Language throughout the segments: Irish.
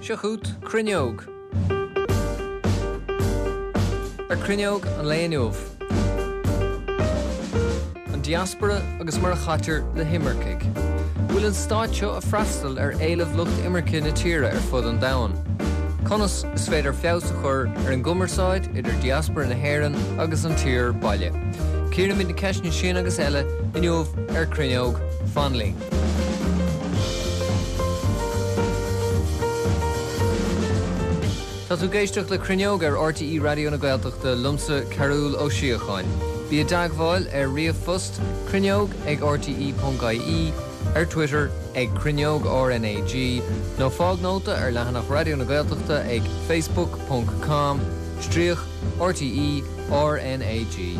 Seo chugat Cruinneog. Ar Cruinneog an lae inniu. An diaspora agus mar a chaitear le himircigh. Bhfuil an stát seo ag freastal ar éilimh lucht imirce na tíre ar fud an domhain? Conas is féidir feabhas a chur ar an gcumarsáid idir diaspora na hÉireann agus an tír baile? Cíoraimid na ceisteanna sin agus eile inniu ar Cruinneog. Fan linn. Tá tú ag éisteacht le Cruinneog ar RTÉ Raidió na Gaeltachta liomsa Cearbhall Ó Síocháin. Bí i dteagmháil ar ríomhphost cruinneog ag rte.ie, ar Twitter ag Cruinneog RnaG nó fág nóta ar leathanach Raidió na Gaeltachta ag facebook ponc com stríoc RTÉ RnaG.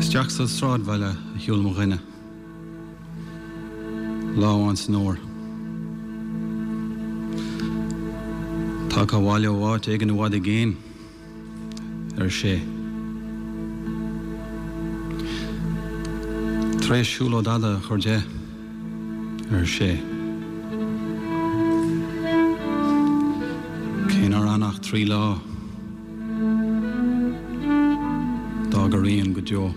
Isteach sa sráidbhaile a shiúil mo dhuine lá amháin san fhómhar. Tagtha abhaile ó áit éigin i bhfad i gcéin, ar sé. Tar éis siúlóid fhada a chur de, ar sé. Cé nár fhan ach 3 lá, d'fhág a rian go deo.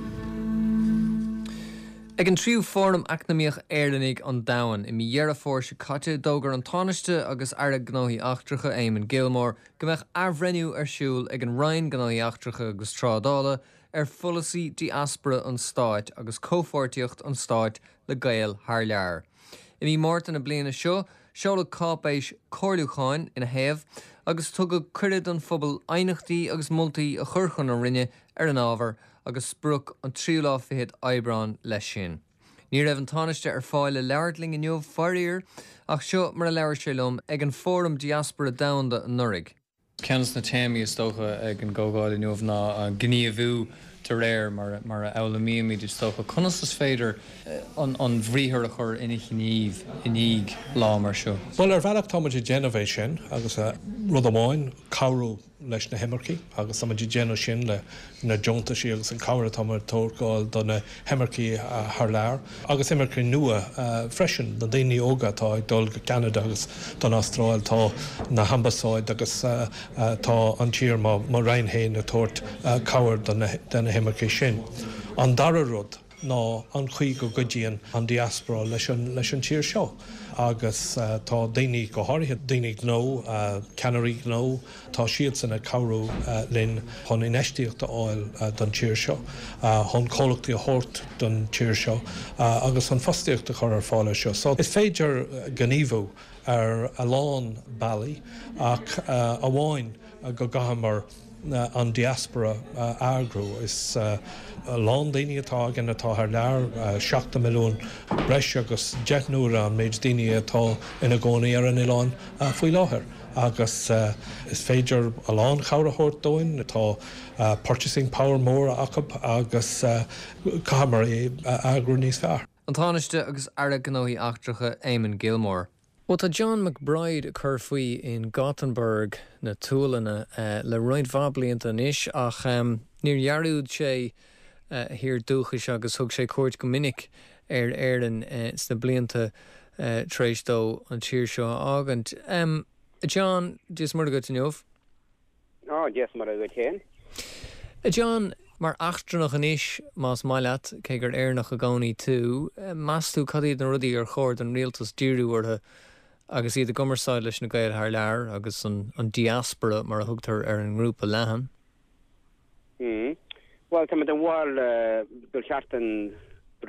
Ag an tríú Fóram Eacnamaíoch Éireannaigh an Domhain i mí Dheireadh Fómhair seo caite, d'fhógair an Tánaiste agus Aire Gnóthaí Eachtracha Eamon Gilmore go mbeadh athbhreithniú ar siúl ag an Roinn Gnóthaí Eachtracha agus Trádála ar pholasaí diaspora an stáit agus comhpháirtíocht an stáit le Gaeil thar lear. I mí Márta na bliana seo, seoladh cáipéis comhairliúcháin ina thaobh agus tugadh cuireadh don phobal aighneachtaí agus moltaí a chur chun na Roinne ar an ábhar agus sprioc an tríú lá fichead Aibreán leis sin. Ní raibh an Tánaiste ar fáil le labhairt linn inniu, faraor, ach seo mar a labhair sé liom ag an Fóram Diaspora Domhanda anuraidh. Ceann de na téamaí is dócha ag an gcomhdháil inniu ná gníomhú de réir mar a fhoghlaimímid, is dócha. Conas is féidir an bhriathar a chur ina ghníomh i ndiaidh lá mar seo? Bhuel, ar bhealach tá muid ag déanamh é sin agus rud amháin, cabhrú leis na himircigh agus tá muid ag déanamh sin le na deontaisí agus an cabhair atá muid ag tabhairt do na himircigh thar lear agus imircigh nua freisin, na daoine óga atá ag dul go Ceanada agus don Astráil, tá na hambasáid agus tá an tír, mo Roinn féin, ag tabhairt cabhair do na himircigh sin. An dara rud. ná an chaoi go gcuidíonn an diaspora leis an leis an tír seo agus tá daoine, go háirithe daoine gnó, ceannairí gnó, tá siadsan ag cabhrú linn chun infheistíocht a fháil don tír seo, chun comhlachtaí a thabhairt don tír seo agus chun fostaíocht a chur ar fáil anseo. So is féidir gníomhú ar a lán bealaí ach amháin go gcaithfear an diaspora a eagrú. Is a lán daoine atá againn atá thar lear, 70 milliún, breis agus 10 n-uaire an méid daoine atá ina gcónaí ar an oileán faoi láthair agus is féidir a lán cabhair a thabhairt dúinn. Tá purchasing power mór acu agus caithfear é a eagrú níos fearr. An Tánaiste agus Aire Gnóthaí Eachtracha Eamon Gilmore. Bhuel, tá John McBride ag cur faoi in Gothenburg na tSualainne le roinnt mhaith blianta anois ach níor dhearúd sé a thír dúchais agus thug sé cuairt go minic ar Éirinn sna blianta tar éis dó an tír seo a fhágaint. A John, Dia is Muire dhuit inniu. Á, Dia is Muire dhuit féin. A John, mar eachtrannach anois, más maith leat, cé gur Éireannach i gcónaí tú, meas tú cad iad na rudaí ar chóir don rialtas díriú orthu agus iad i gcumarsáid leis na Gaeil thar lear agus an diaspora mar a thugtar ar an ngrúpa leathan? Mm. Bhuel, tá mé den bharúil gur cheart don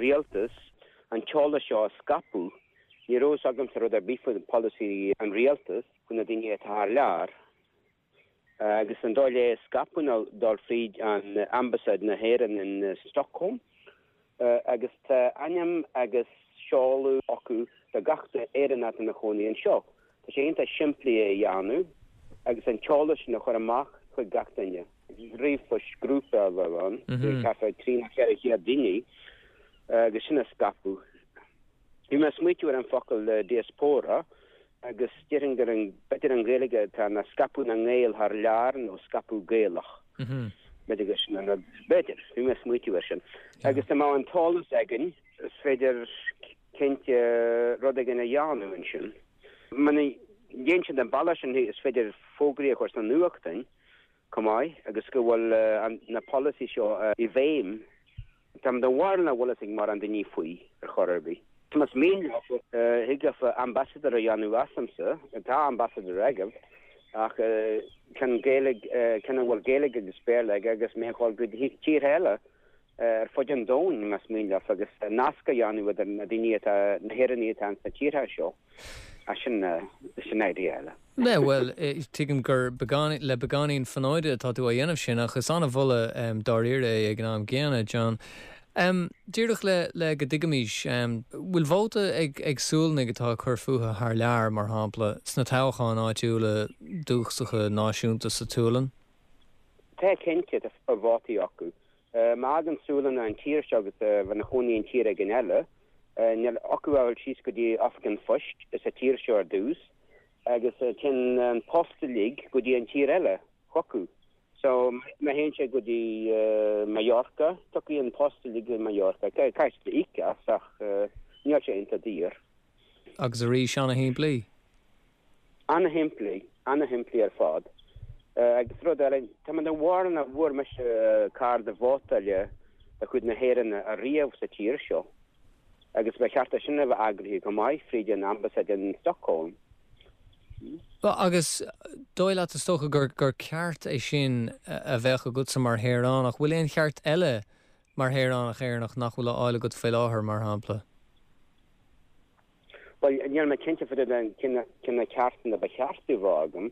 rialtas an t-eolas seo a scaipeadh. Ní raibh fhios agamsa rud ar bith faoi polasaí an rialtais faoi na daoine atá thar lear. Agus an dóigh le é a scaipeadh ná dul fríd an Ambasáid na hÉireann in Stockholm agus tá ainm agus seoladh acu do gach Éireannach atá ina chónaí anseo. Tá sé iontach simplí é a dhéanamh agus an t-eolas sin a chur amach chuig gach duine. Ríomhphost grúpa a bheadh ann, thart ar 3 nó 400 daoine agus sin a scaipeadh. Bhí mé ag smaoitiú ar an focal diaspóra Agus déarfainn gur an, b'fhéidir an Ghaeilge atá ann ná scaipeadh na nGael thar lear nó scaipeadh Gaelach. B'fhéidir gur sin an rud. B'fhéidir. Bhí mé ag smaoitiú air sin. Agus dá mbeadh an t-eolas againn, is féidir cinnte rud éigin a dhéanamh ansin. Muna ndéanann siad an bealach sin, is féidir fógraí a chur sna nuachtáin chomh maith agus go bhfuil na polasaí seo i bhfeidhm. Tá mé den bharúil nach bhfuil fhios ag mórán daoine faoi ar chor ar bith. Más mian leofa, thig leofa ambassador a dhéanamh asamsa, tá ambassador agaibh, ach ceann Gaeilge, ceann a bhfuil Gaeilge agus Béarla aige agus mé a dhul go tíortha eile ar fud an domhain, más mian leofa, agus nasc a dhéanamh idir na daoine atá, na hÉireannaigh atá ins na tíortha seo. Ach sin, sin idea eile. Yeah, bhuel, tuigim gur beagán, le beagáinín fonóide atá tú á dhéanamh sin, ach is an-mholadh dáiríre é ag an am gcéanna, John. Díreach le, le go dtuigfimis, bhfuil vóta ag, ag Sualannaigh atá ag cur fúthu thar lear, mar shampla, sna toghcháin áitiúla dúchasacha náisiúnta sa tSualainn? Tá, cinnte, tá vótaí acu. Má fhágann Sualannach an tír seo agus a bheith ina chónaí in tír éigin eile, níl acu ach dul síos go dtí oifig an phoist sa tír seo ar dtús agus téann an post uilig go dtí an tír eile chucu. So má théann sé go dtí Mallorca, tiocfaidh an post uilig go Mallorca. Caithfidh siad íoc as ach níl sé iontach daor. Agus arís, ana-shimplí. Ana-shimplí, ana-shimplí ar fad. Agus rud eile, tá mé den bharúil nach bhfuair mise cárta vótála de chuid na hÉireann ariamh sa tír seo, agus ba cheart é sin a bheith eagraithe go maith fríd an Ambasáid in Stockholm. Agus dóigh leat, is dócha, gur ceart é sin a bheadh agatsa mar shaoránach. Bhfuil aon cheart eile mar shaoránach Éireannach nach bhfuil á fháil agat faoi láthair, mar shampla? Bhuel, níl mé cinnte fá dtaobh de cé na ceartanna ba cheart a bheith agam,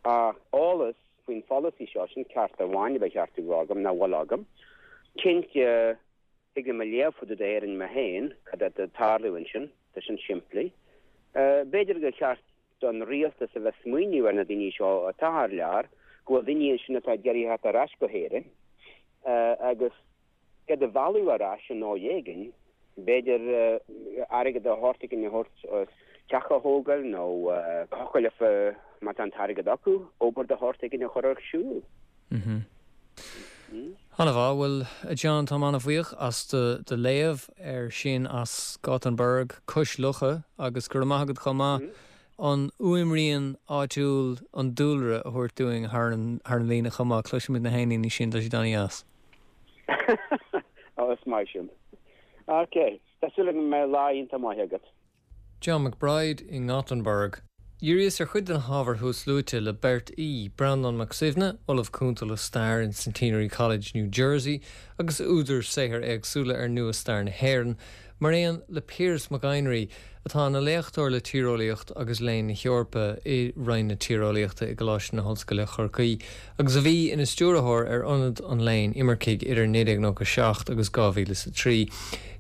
ach eolas faoin pholasaí seo, sin ceart amháin a ba cheart a bheith agam, nach bhfuil agam. Cinnte, thig liom a léamh fá dtaobh d'Éirinn mé féin, cad atá ag tarlú ansin, tá sin simplí. B'fhéidir gur cheart don rialtas a bheith ag smaoineamh ar na daoine seo atá thar lear, go bhfuil daoine ansin atá ag iarraidh theacht ar ais go hÉirinn, agus. iad a mhealladh ar ais i ndóigh éigin, b'fhéidir airgead de shórt éigin a thabhairt teach a thógáil nó thiocfadh leofa, má tá an t-airgead acu, obair de shórt éigin a chur ar siúl. Ana-mhaith. Bhuel, a John, táim ana-bhuíoch as do léamh air sin as Gothenburg, cois locha, agus go raibh maith agat chomh maith an fhuaimrian áitiúil, an dúlra, a thabhairt dúinn thar an líne chomh maith. Cloisimid na héiníní sin, tá siad ana-dheas. Ó, is maith sin. Ok, tá súil agam go mbeidh lá iontach maith agat. John McBride i nGothenburg. Dhíríos ar chuid de na hábhair thuasluaite le beirt aoi, Breandán Mac Suibhne, Ollamh Cúnta le Stair in Centenary College, New Jersey, agus údar saothair éagsúla ar nua-stair na hÉireann, mar aon le Piaras Mac Éinrí, atá ina léachtóir le Tíreolaíocht agus Léann na hEorpa i Roinn na Tíreolaíochta i gColáiste na hOllscoile Chorcaí agus a bhí ina stiúrthóir ar Ionad an Léinn Imircigh idir 1997 agus 2003.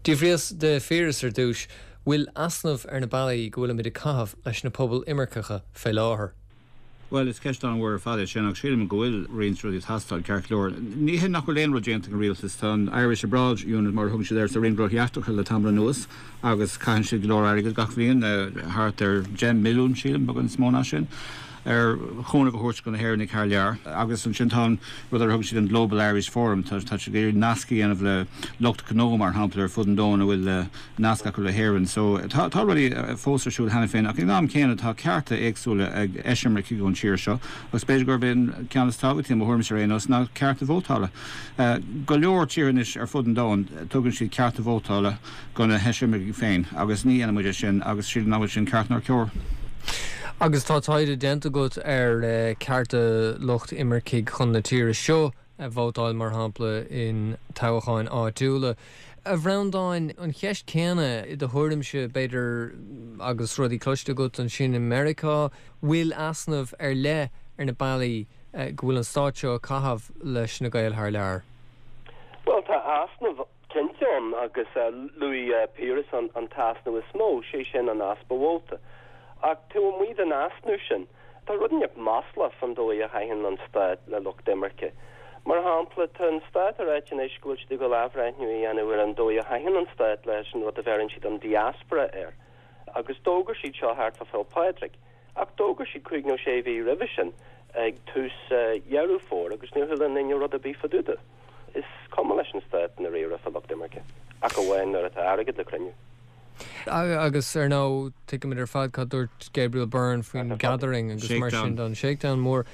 D'fhiafraíos de Phiaras ar dtús, bhfuil easnamh ar na bealaí go bhfuilimid ag caitheamh leis na pobail imirceacha fé láthair. Bhuel, is ceist an-mhór ar fad é sin, ach sílim go bhfuil roinnt rudaí ag teastáil, ceart go leor. Ní hé nach bhfuil aon rud déanta ag an rialtas, tá an Irish Abroad Unit, mar a thugann siad air, sa Roinn Gnóthaí Eachtracha le tamall anuas agus caitheann siad go leor airgid gach bhliain, thart ar 10 milliún, sílim, beagán níos mó ná sin, ar chúnamh a thabhairt do na hÉireannaigh thar lear. Agus ansin tá an rud ar a thugann siad an Global Irish Forum, tá siad ag iarraidh nasc a dhéanamh le lucht gnó, mar shampla, ar fud an domhain a bhfuil nasc acu le hÉirinn. So, tá tá rudaí fós ar siúl cheana féin ach ag an am céanna tá cearta éagsúla ag eisimircigh ón tír seo agus b'fhéidir gurb é an ceann is tábhachtaí i mo thuairimse ar aon nós ná cearta vótála. Go leor tíortha anois ar fud an domhain tugann siad cearta vótála go na heisimircigh féin agus ní dhéanann muid é sin agus sílim nach bhfuil sin ceart nár cóir. Agus tá taighde déanta agat ar cearta lucht imircigh chun na tíre seo. vótáil, mar shampla, in toghcháin áitiúla. A Bhreandáin, an cheist chéanna, i do thuairimse, b'fhéidir, agus rudaí cloiste agat ansin i Meiriceá, bhfuil easnamh ar leith ar na bealaí go bhfuil an stát seo ag caitheamh leis na Gaeil thar lear? Bhuel, tá easnamh cinnte ann agus luaigh Piaras an t-easnamh is mó, sé sin an easpa vóta. Ach taobh amuigh den easnamh sin, tá rud inteacht maslach fán dóigh a chaitheann an stát le lucht imirce. Mar shampla, tá an stát ag ráit anois go bhfuil siad ag dul athbhreithniú a dhéanamh ar an dóigh a chaitheann an stát leis an rud a bheireann siad an diaspora air. Agus d'fhógair siad seo thart fá Féil' Pádraig. Ach d'fhógair siad cúig nó sé mhí roimhe sin. ag tús Dheireadh Fómhair agus níor chuala aon duine rud ar bith fá dtaobh de. Is cuma leis an stát i ndáiríre fá lucht imirce, ach amháin nuair atá airgead le cruinniú. Agus ar ndóigh, tuigimid ar fad cad dúirt Gabriel Byrne faoin gathering agus mar sin don shakedown mór.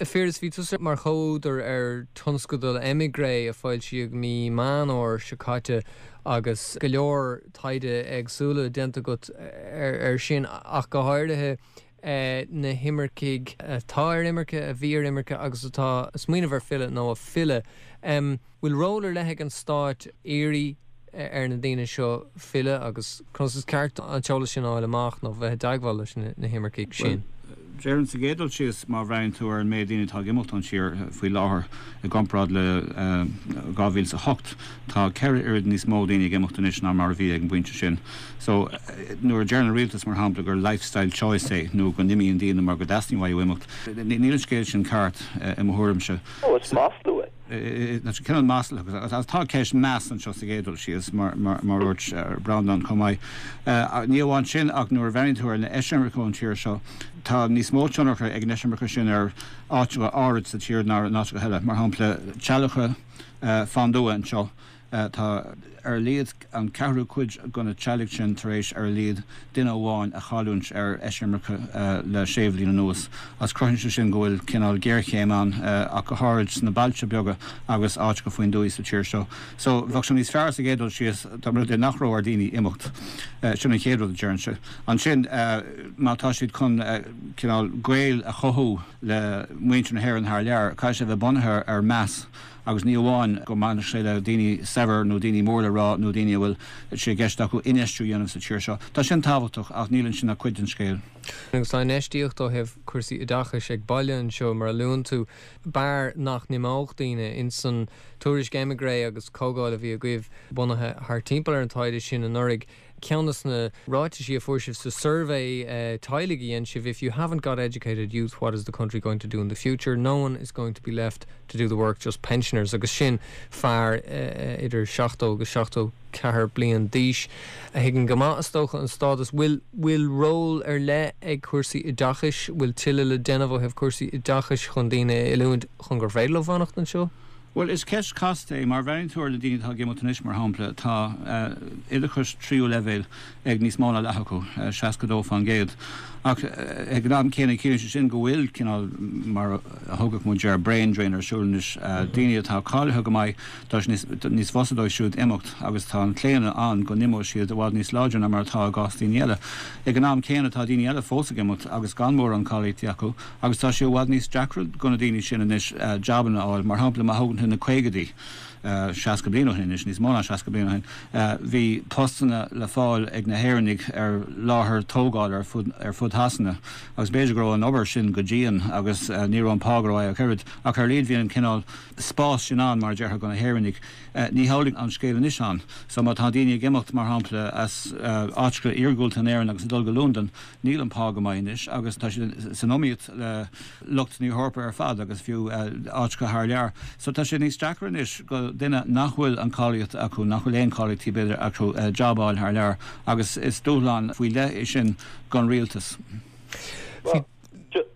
A Phiarais, bhí tusa mar chomhúdar ar tionscadal Emigre a foilsíodh mí Meán Fhómhair seo caite agus go leor taighde éagsúla déanta agat ar sin ach go háirithe na himircigh atá ar imirce, a bhí ar imirce agus atá ag smaoineamh ar filleadh nó a filleadh. Bhfuil ról ar leith ag an stáit iarraidh ar na daoine seo filleadh agus conas is ceart an t-eolas sin a fháil amach nó bheith i dteagmháil leis na himircigh sin? Bhuel, déarfainn sa gcéad dul síos, má bhreathnaíonn tú ar an méid daoine atá ag imeacht ón tír faoi láthair i gcomparáid le 2008, tá 4 oiread níos mó daoine ag imeacht anois ná mar a bhí ag an bpointe sin. So, nuair a deireann an rialtas, mar shampla, gur lifestyle choice é nó go n-imíonn daoine mar go dteastaíonn uathu imeacht, níl an scéal sin ceart i mo thuairimse. Ó, is maslú é. Tá sé cineál maslach agus tá ceist meas anseo sa gcéad dul síos, mar a dúirt Breandán chomh maith. Ní amháin sin ach nuair a bhreathnaíonn tú ar na eisimircigh ón tír seo, tá níos mó tionchar ag an eisimirce sin ar áiteacha áirid sa tír ná in áiteacha eile. Mar shampla, teaghlacha fán dtuath anseo, Tá ar a laghad an ceathrú cuid de na teaghlaigh sin tar éis ar a laghad duine amháin a chailliúint ar eisimirce le sé bhliain anuas, agus cruthaíonn sé sin go bhfuil cineál géarchéim ann, ach go háirid sna bailte beaga agus áiteacha faoin dtuaith sa tír seo. So, bheadh sé níos fearr sa gcéad dul síos dá mba rud é nach raibh ar daoine imeacht. Sin an chéad rud a déarfainnse. Ansin, má tá siad chun cineál gaol a chothú le muintir na hÉireann thar lear, caithfidh sé a bheith bunaithe ar meas. Agus ní amháin go mbaineann sé le daoine saibhir nó daoine mór le rá nó daoine a bhfuil sé i gceist acu infheistiú a dhéanamh sa tír seo. Tá sin tábhachtach ach níl ansin ach cuid den scéal. Agus tá infheistíocht ó thaobh cúrsaí oideachais ag baile anseo, mar a luann tú. B'fhearr nach n-imeodh daoine. Ins an tuairisc Emigre agus comhdháil a bhí agaibh bunaithe thart timpeall ar an taighde sin anuraidh, Ceann de na ráitisí a fuair sibh sa suirbhé teaghlaigh a dhein sibh, If you haven't got educated youth, what is the country going to do in the future? No one is going to be left to do the work, just pensioners. Agus sin fear idir 70 agus 74 bliain d'aois a thuigeann go maith, is dócha, an stádas. Bhfuil bhfuil ról ar leith ag cúrsaí oideachais? Bhfuil tuilleadh le déanamh ó thaobh cúrsaí oideachais chun daoine a oiliúint chun gur féidir leo fanacht anseo? Bhuel, is ceist chasta é. Má bhreathnaíonn tú ar na daoine atá ag imeacht anois, mar shampla, tá oideachas tríú leibhéal ag níos mó ná leath acu, 62%. Ach ag an am céanna, ciallaíonn sé sin go bhfuil cineál, mar a thugadh muid air, brain drain ar siúl anois. Daoine atá cáilithe go maith, tá sé níos fusa dóibh siúd imeacht agus tá an claonadh ann go n-imeoidh siad i bhfad níos láidre ná mar atá i gcás daoine eile. Ag an am céanna, tá daoine eile fós ag imeacht agus gan mórán cáilíochtaí acu. Agus tá sé i bhfad níos deacra do na daoine sin anois jabanna a fháil. Mar shampla, má thógann tú na caogaidí, 60 bliain ó shin anois, níos mó ná 60 bliain ó shin, bhí postanna le fáil ag na hÉireannaigh ar láthair tógála ar fud ar fud Shasana agus b'fhéidir go raibh an obair sin go dian agus ní raibh an pá go raibh ach oiread ach ar a laghad bhí an cineál spás sin ann, mar a déarfá, do na hÉireannaigh. Ní hamhlaidh an scéal anois ann. So má tá daoine ag imeacht, mar shampla, as áiteacha iargúlta in Éirinn agus ag dul go Londain, Níl an pá go maith anois agus tá siad san iomaíocht le lucht na hEorpa ar fad agus fiú áiteacha thar lear. So tá sé níos deacra anois do duine nach bhfuil an cáilíocht acu, nach bhfuil aon cáilíochtaí b'fhéidir acu, job a fháil thar lear agus is dúshlán faoi leith é sin don rialtas.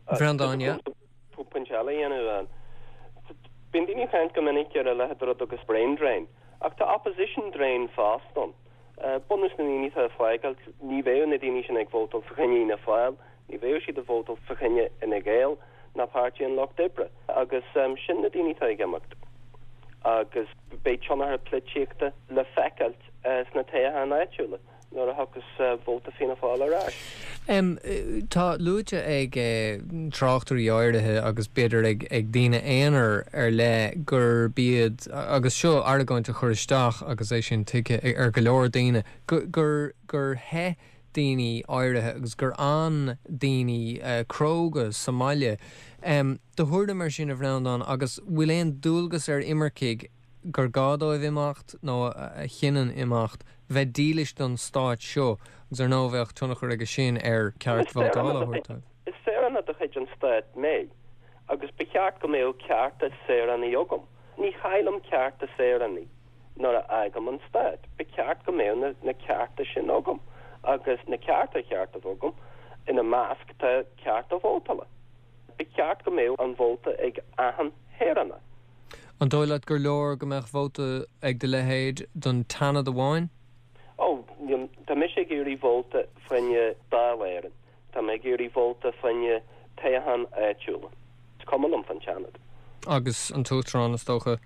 Bhreandáin, yeah. Pointe eile a dhéanamh. Bíonn daoine ag caint go minic ar a leithéid de rud agus brain drain ach tá opposition drain fosta ann. Bunús na ndaoine atá ag fágáilt, ní bheadh na daoine sin ag vótáil fá choinne Fhianna Fáil, ní bheadh siad ag vótáil fá choinne Fhine Gael ná Páirtí an Lucht Oibre. Agus sin na daoine atá ag imeacht. Agus beidh tionchar polaitíochta le feiceáilt sna toghcháin áitiúla. nuair a thiocfas vóta Fianna Fáil ar ais. Tá luaite ag tráchtairí áirithe agus b'fhéidir ag daoine aonair ar leith gurb iad, agus seo argóint a chur isteach agus é sin tuigthe ar go leor daoine, gur gur theith daoine áirithe agus gur fhan daoine cróga sa mbaile. Do thuairim ar sin, a Bhreandáin, agus bhfuil aon dualgas ar imircigh gur gá dóibh imeacht, nó a chinneann imeacht, bheith dílis don stát seo, agus ar ndóigh bheadh tionchar aige sin ar ceart vótála a thabhairt dóibh. Is saoránach de chuid an stáit mé, agus ba cheart go mbeadh cearta saoránaigh agam. Ní chaillim cearta saoránaigh nuair a fhágaim an stát. Ba cheart go mbeadh na cearta sin agam, agus na cearta a cheart a bheith agam, ina measc tá cearta vótála. Ba cheart go mbeadh an vóta ag achan shaoránach. An dóigh leat gur leor go mbeadh vóta ag do leithéid don tSeanad amháin? Ó, tá mise ag iarraidh vóta fá choinne Dáil Éireann. Tá mé ag iarraidh vóta fá choinne toghcháin áitiúla. Is cuma liom fán tSeanad. Agus an tUachtarán, is dócha.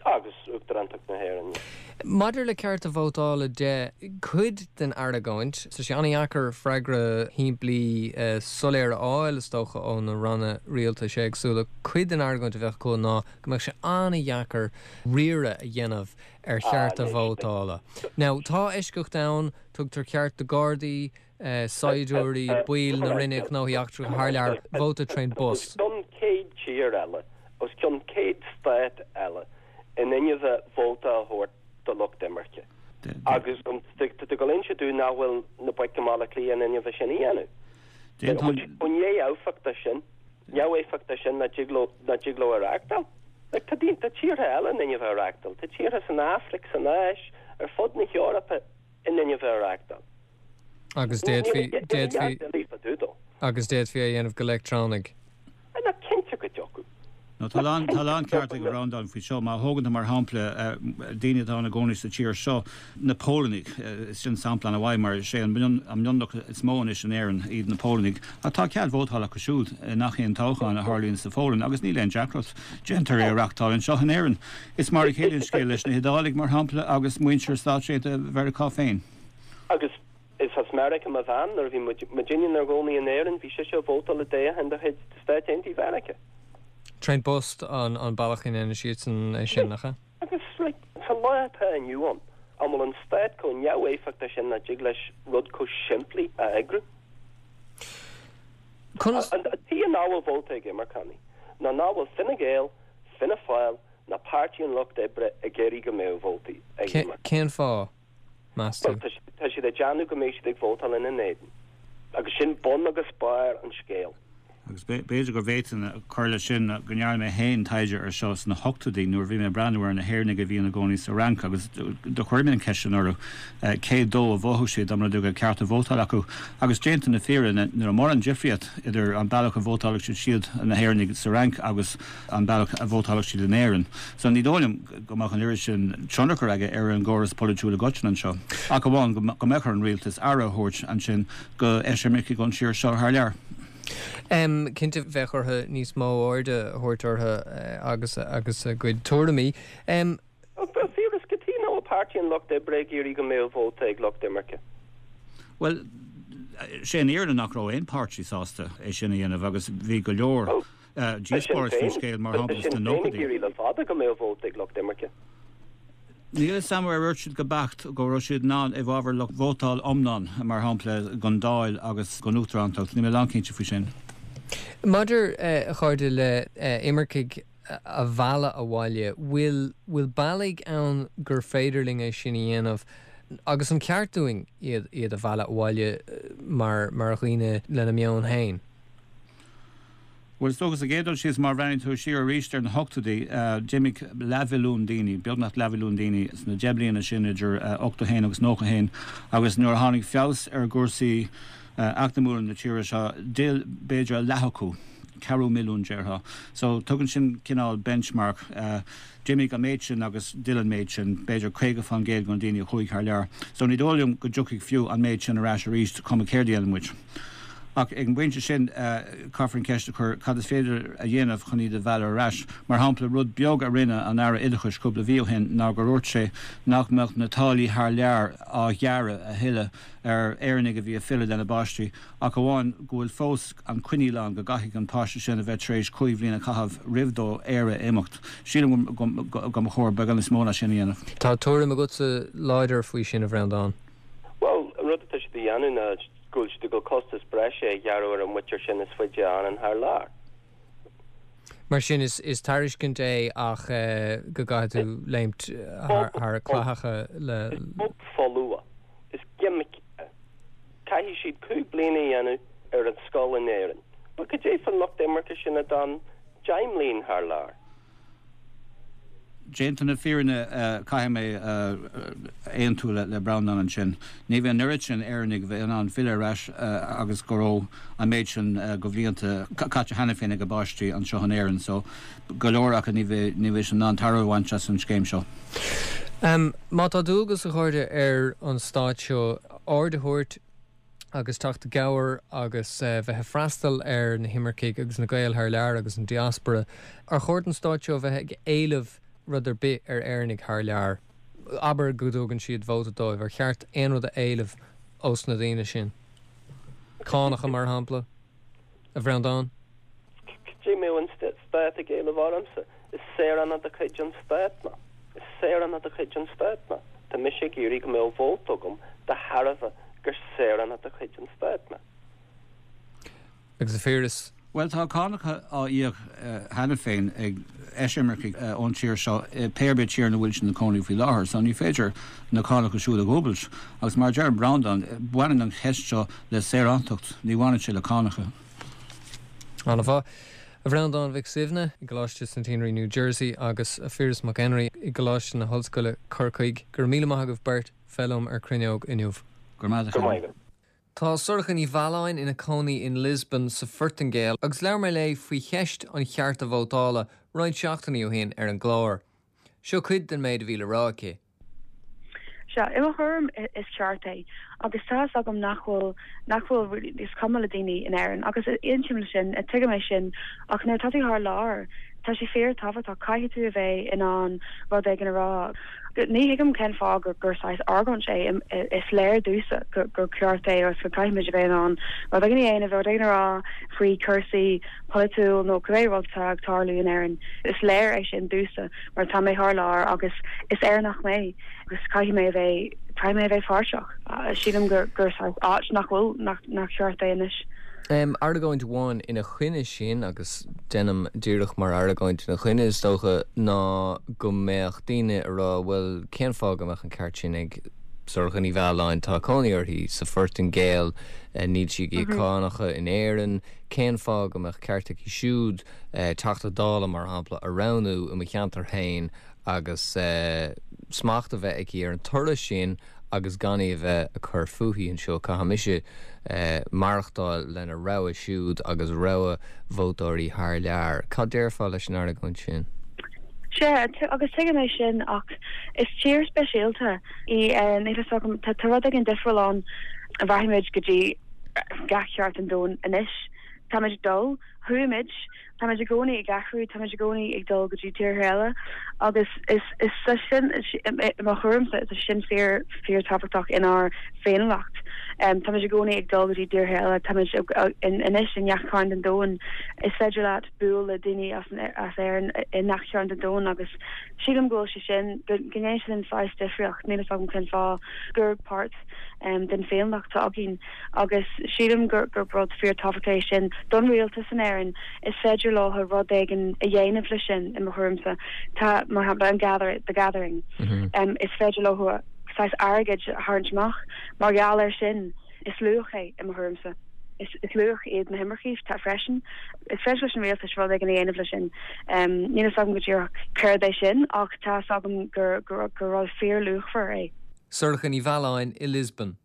Agus Uachtarántacht na hÉireann. Maidir le cearta vótála de, cuid den argóint, tá sé an-dheacair freagra shimplí soiléir a fháil, is dócha, ó na ranna rialtais éagsúla. Cuid den argóint a bheadh acu ná go mbeadh sé an-dheacair riaradh a dhéanamh ar chearta vótála. Now, tá eisceacht ann, tugtar ceart do Ghardaí, saighdiúirí, baill na Roinne Gnóthaí Eachtracha thar lear, vóta trén bpost. Os cionn 100 tír eile, os cionn 100 stát eile in inmhe vóta a thabhairt do lucht imirce. Agus tá tú ag dul inse dúinn nach bhfuil na boic i mBaile Átha Cliath in inmhe sin a dhéanamh. Chomh neamhéifeachtach sin, neamhéifeachtach sin nach dtig leo, nach dtig leo a reachtáil. Like, tá daoine, tá tíortha eile in inmhe a reachtáil. Tá tíortha san Afraic, san Áis, ar fud na hEorpa in inmhe a reachtáil. Agus d'fhéadfaí, d'fhéadfaí, agus d'fhéadfaí é a dhéanamh go leictreonaigh. Nach cinnte go dtiocfadh. No, tá a lán, tá a lán ceart ag Breandán faoi seo. Má thógann tú mar shampla daoine atá ina gcónaí sa tír seo, na Pólannaigh, sin sampla an-mhaith mar is é an mionlach is mó anois in Éirinn iad na Pólannaigh. Ach tá cead vótála acu siúd i ngach aon toghchán a tharlaíonn sa Pholainn agus níl aon deacracht. Déantar é a reachtáil anseo in Éirinn. Is mar a chéile an scéal leis na hIodálaigh, mar shampla, agus muintir Stáit Aontaithe Mheiriceá féin. Agus is as Meiriceá mo bhean. Nuair a bhí muidinne inár gcónaí in Éirinn, bhí sise ag vótáil i dtoghchán de chuid Stáit Aontaithe Mheiriceá. Trén bpost an bealach a ndéanann siadsan é sin, nach ea? Agus, like, sa lá atá inniu ann, an bhfuil an stát chomh neamhéifeachtach sin nach dtig leis rud chomh simplí a eagrú? Conas. An tuige nach bhfuil vóta ag imirceánaigh ná nach bhfuil Fine Gael, Fianna Fáil ná Páirtí an Lucht Oibre ag iarraidh go mbeadh vótaí ag imirceánaigh. Cén fáth? meas tú? Bhuel, tá siad ag déanamh go mbeidh siad ag vótáil ina n-éadan. Agus sin bun agus barr an scéil. Agus b'fhéidir go bhféadfainn cur leis sin go ndearna mé féin taighde ar seo sna hochtóidí nuair a bhí mé ag breathnú ar na hÉireannaigh a bhí ina gcónaí sa Fhrainc agus do chuir mé an cheist sin orthu cé dó a vótálfadh siad dá mba rud é go raibh cearta vótála acu. Agus déanta na fírinne, ní raibh mórán difríocht idir an bealach a vótálfadh siad siúd, na hÉireannaigh sa Fhrainc agus an bealach a vótálfadh siad in Éirinn. So ní dóigh liom go mbeadh an oiread sin tionchar aige ar an gcóras polaitiúil i gcoitinne anseo, ach amháin go mbeadh ar an rialtas aire a thabhairt ansin go eisimircigh ón tír seo thar lear. Cinnte, bheadh orthu níos mó airde a thabhairt orthu agus agus a gcuid tuairimí. Ach fíoras cad chuige nach bhfuil Páirtí an Lucht Oibre ag iarraidh go mbeadh vóta ag lucht imirce. Bhuel, sé an fhírinne nach raibh aon páirtí sásta é sin a dhéanamh agus bhí go leor. díospóireacht faoin scéal, mar shampla, sna Sinn Féin ag nóchaidí. iarraidh le fada go mbeadh vóta ag lucht imirce. Níl a fhios agam ar dhúirt siad go beacht go raibh siad in ann i bhfabhar lucht vótáil iomlán, mar shampla, don Dáil agus don Uachtarántacht. Níl mé lánchinnte faoi sin. Maidir, a chairde, le imircigh a mhealladh abhaile, bhfuil bhfuil bealaí ann gur féidir linn é sin a dhéanamh agus an ceart dúinn iad iad a mhealladh abhaile mar mar dhaoine lena meon féin? Bhuel, is dócha, sa gcéad dul síos, má bhreathnaíonn tú siar arís ar na hochtóidí, d'imigh leathmhilliún daoine, beagnach leathmhilliún daoine, sna deich mbliana sin idir 81 agus 91, agus nuair a tháinig feabhas ar chúrsaí eacnamúla na tíre seo, d'fhill b'fhéidir a leath acu, ceathrú milliún, déarfá. So, tugann sin cineál benchmark. D'imigh an méid sin agus d'fhill an méid sin, b'fhéidir 50% de na daoine a chuaigh thar lear. So ní dóigh liom go dtiocfaidh fiú an méid sin ar ais arís, cuma céard a dhéanann muid. Ach ag an bpointe sin, caithfear an cheist a chur, cad is féidir a dhéanamh chun iad a mhealladh ar ais? Mar shampla, rud beag a rinne an Aire Oideachais cúpla mhí ó shin ná gur dhúirt sé nach mbeadh na táillí thar lear á ghearradh a thuilleadh ar Éireannaigh a bhí ag filleadh lena bpáistí, ach amháin go bhfuil fós an coinníoll ann go gcaithfidh an páiste sin a bheith tar éis chúig bhliain a chaitheamh roimh dó Éire a imeacht. Sílim go mba chóir beagán níos mó ná sin a dhéanamh. Tá tuairim agatsa láidir faoi sin, a Bhreandáin. Bhuel, an rud atá siad a dhéanamh ná go bhfuil siad ag dul costas breise a ghearradh ar an mhuintir sin is faide a fhanann thar lear. Mar sin, is tairiscint é ach go gcaithfidh tú léimt thar clathacha le. Is bob folamh, is gimic é. Caithfidh siad 5 bliana a dhéanamh ar an scoil in Éirinn. Bhuel, cad é fán lucht imirce sin a d'fhan 10 mbliain thar lear? Déanta na fírinne, caithfidh mé aontú le Breandán ansin. Ní bheidh an oiread sin Éireannaigh a bheidh in ann filleadh ar ais agus go raibh an méid sin de bhlianta caite cheana féin ag a bpáistí anseo in Éirinn so go leor acu ní bheidh ní bheidh siad in ann tairbhe a bhaint as an scéim seo. Má tá dualgas, a chairde, ar an stát seo aird a thabhairt agus teacht i gcabhair agus bheith ag freastal ar na himircigh agus na Gaeil thar lear agus an diaspora, ar chóir don stát seo bheith ag éileamh rud ar bith ar Éireannaigh thar lear? Abair go dtugann siad vóta dóibh, ar cheart aon rud a éileamh ós na daoine sin? Cánacha, mar shampla? A Bhreandáin? Cad é mbeadh an stát ag éileamh ormsa? Is saoránach de chuid an stáit mé. Is saoránach de chuid an stáit mé. Tá mise ag iarraidh go mbeadh vóta agam de thairbhe gur saoránach de chuid an stáit mé. Agus a Phiarais? Bhuel, tá cánacha á íoc cheana féin ag eisimircigh ón tír seo pé ar bith tír ina bhfuil siad ina cónaí faoi láthair, so ní féidir na cánacha siúd a dhúbailt. Agus mar a deir Breandán, baineann an cheist seo le saorántacht, ní bhaineann sé le cánacha. An-mhaith. A Bhreandáin Mhic Suibhne i gColáiste Centenary New Jersey agus a Phiarais Mac Enrí i gColáiste na hOllscoile Corcaigh, go raibh míle maith agaibh beirt bheith liom ar Cruinneog inniu. Go raibh maith agat, a Chearbhaill. Tá Sorcha Ní Mhealláin ina cónaí in Lisbon sa Phortaingéil agus labhair mé léi faoi cheist an chearta vótála roinnt seachtainí ó shin ar an gclár. Seo cuid den méid a bhí le rá aici. Sea, i mo thuairim is ceart é agus tá fhios agam nach bhfuil, nach bhfuil, is cuma le daoine in Éirinn agus aontaím le sin, tuigim é sin ach nuair atá tú thar lear, tá sé fíor tábhachtach, caithfidh tú a bheith in ann rud éigin a rá. Ní thuigim cén fáth gur gur saghas argóint é, is léir domhsa gur ceart é agus go caithfimid a bheith in ann rud éigin a dhéanamh, rud éigin a rá faoi chúrsaí polaitiúil nó cibé rud atá ag tarlú in Éirinn. Is léir é sin domhsa mar tá mé thar lear agus is Éireannach mé agus caithfidh mé a bheith, caithfidh mé a bheith páirteach. Sílim gur gur saghas áit nach bhfuil, nach nach ceart é anois. Argóint amháin ina choinne sin, agus déanaim díreach mar argóint ina choinne is dócha, ná go mbeadh daoine ag rá bhuel cén fáth go mbeadh an ceart sin ag Sorcha Ní Mhealláin, tá cónaí uirthi sa Phortaingéil, níl sí ag íoc cánacha in Éirinn, cén fáth go mbeadh ceart aici siúd Teachta Dála, mar shampla, a roghnú i mo cheantar féin agus smacht a bheith aici ar an toradh sin agus gan í a bheith ag cur fúithi anseo. Caithfidh mise maireachtáil lena rogha siúd agus rogha vótóirí thar lear. Cad déarfá leis an argóint sin? Sea, agus tuigim é sin ach is tír speisialta í Éirinn, níl fhios agam, tá rud éigin difriúil ann. Rachaimid go dtí gach cearn den domhan anois. Táimid ag dul, chuaigh muid, táimid i gcónaí ag athrú, táimid i gcónaí ag dul go dtí tíortha eile agus is is é sin, i mo thuairimse, is é sin fíor fíor tábhachtach inár bhféiniúlacht. Táimid i gcónaí ag dul go dtí tíortha eile, táimid anois i ngach cearn den domhan. Is féidir leat bualadh le daoine as as Éirinn i ngach cearn den domhan agus sílim go bhfuil sé sin, go ndéanann sé sin saghas difríocht, níl fhios agam cén fáth, gur páirt den bhféiniúlacht atá againn. agus sílim gur rud fíor-tábhachtach é sin don rialtas in Éirinn. Is féidir leo rud éigin a dhéanamh leis sin, i mo thuairimse. Tá, mar shampla, an gather, the gathering. Is féidir leo saghas airgid a tharraingt amach mar gheall air sin. Is luach é, i mo thuairimse. Is luach iad na himircigh freisin. Is féidir leis an rialtas rud éigin a dhéanamh leis sin. Níl fhios agam go díreach céard é sin ach tá fhios agam gur rud fíor-luachmhar é. Sorcha Ní Mhealláin i Lisbon.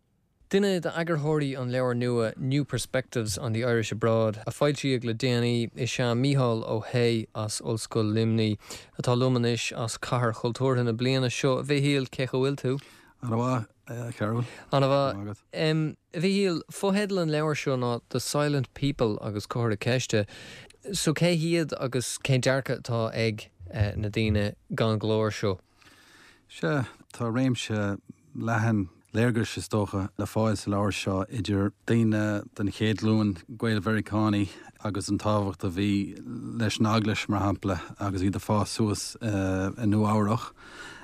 Duine d'eagarthóirí an leabhair nua New Perspectives on the Irish Abroad, a foilsíodh le déanaí, is ea Mícheál Ó hAodha as Ollscoil Luimnigh, atá liom anois as Cathair Chultúrtha na bliana seo. A Mhichíl, cén chaoi a bhfuil tú? Ana-mhaith, a Chearbhaill. Ana-mhaith. A Mhichíl, fotheideal an leabhair seo ná The Silent People agus comhartha ceiste. So cé hiad agus cén dearcadh atá ag na daoine gan ghlór seo? Sea, tá réimse leathan léargais, is dócha, le fáil sa leabhar seo, idir daoine den chéad ghlúin, Gael-Mheiriceánaigh, agus an tábhacht a bhí leis an Eaglais, mar shampla, agus iad ag fás suas i Nua-Eabhrac.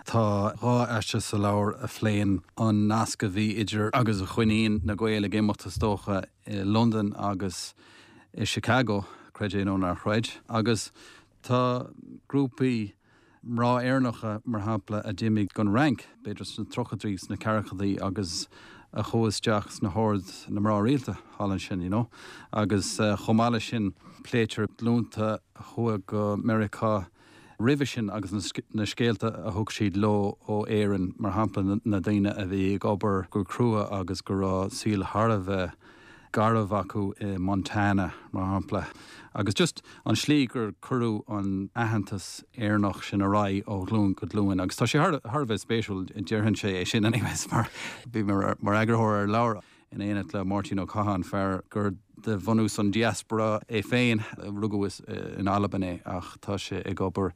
Tá dhá aiste sa leabhar a phléann an nasc a bhí idir, agus a choinníonn na Gaeil ag imeacht, is dócha, i Londain agus i Chicago, creid é nó ná chreid. Agus tá grúpaí. Mná Éireannacha, mar shampla, a d'imigh gon Fhrainc, b'fhéidir sna tríochaidí, sna ceathrachaidí agus a chuaigh isteach sna hOird na Mná Rialta thall ansin, you know. Agus chomh maith leis sin, pléitear glúnta a chuaigh go Meiriceá. roimhe sin agus na scéalta a thug siad leo ó Éirinn, mar shampla na daoine a bhí ag obair go crua agus go raibh saol thar a bheith garbh acu i Montana, mar shampla. Agus just an slí gur cuireadh an aitheantas Éireannach sin ar aghaidh ó ghlúin go glúin. Agus tá sé thar a bheith spéisiúil, déarfainnse é sin anyways, mar bhí mé mar eagarthóir ar an leabhar in éineacht le Máirtín Ó Catháin, fear gur de bhunús an diaspora é féin, rugadh in Albain é ach tá sé ag obair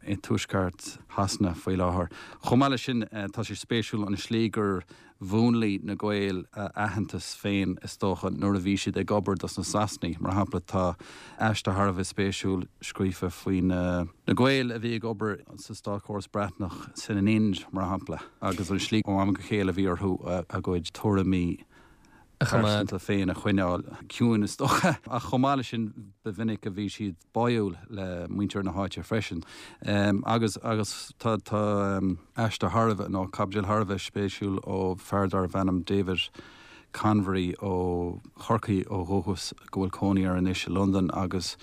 i dtuaisceart Shasana faoi láthair. Chomh maith leis sin, tá sé spéisiúil an slí gur mhúnlaigh na Gaeil a n-aitheantas féin, is dócha, nuair a bhí siad ag obair dos na Sasanaigh. Mar shampla, tá aiste thar a bheith spéisiúil scríofa faoi na Gaeil a bhí ag obair sa státchóras Breatnach san Ind, mar shampla, agus an slí ó am go chéile a bhí orthu a gcuid tuairimí pearsanta féin a choinneáil ciúin, is dócha. Ach chomh maith leis sin, ba mhinic a bhí siad báúil le muintir na háite freisin. Agus agus tá tá aiste thar a bheith, nó caibidil thar a bheith spéisiúil ó fear darbh ainm David Convery ó Chorcaigh ó dhúchas go bhfuil cónaí air anois i Londain agus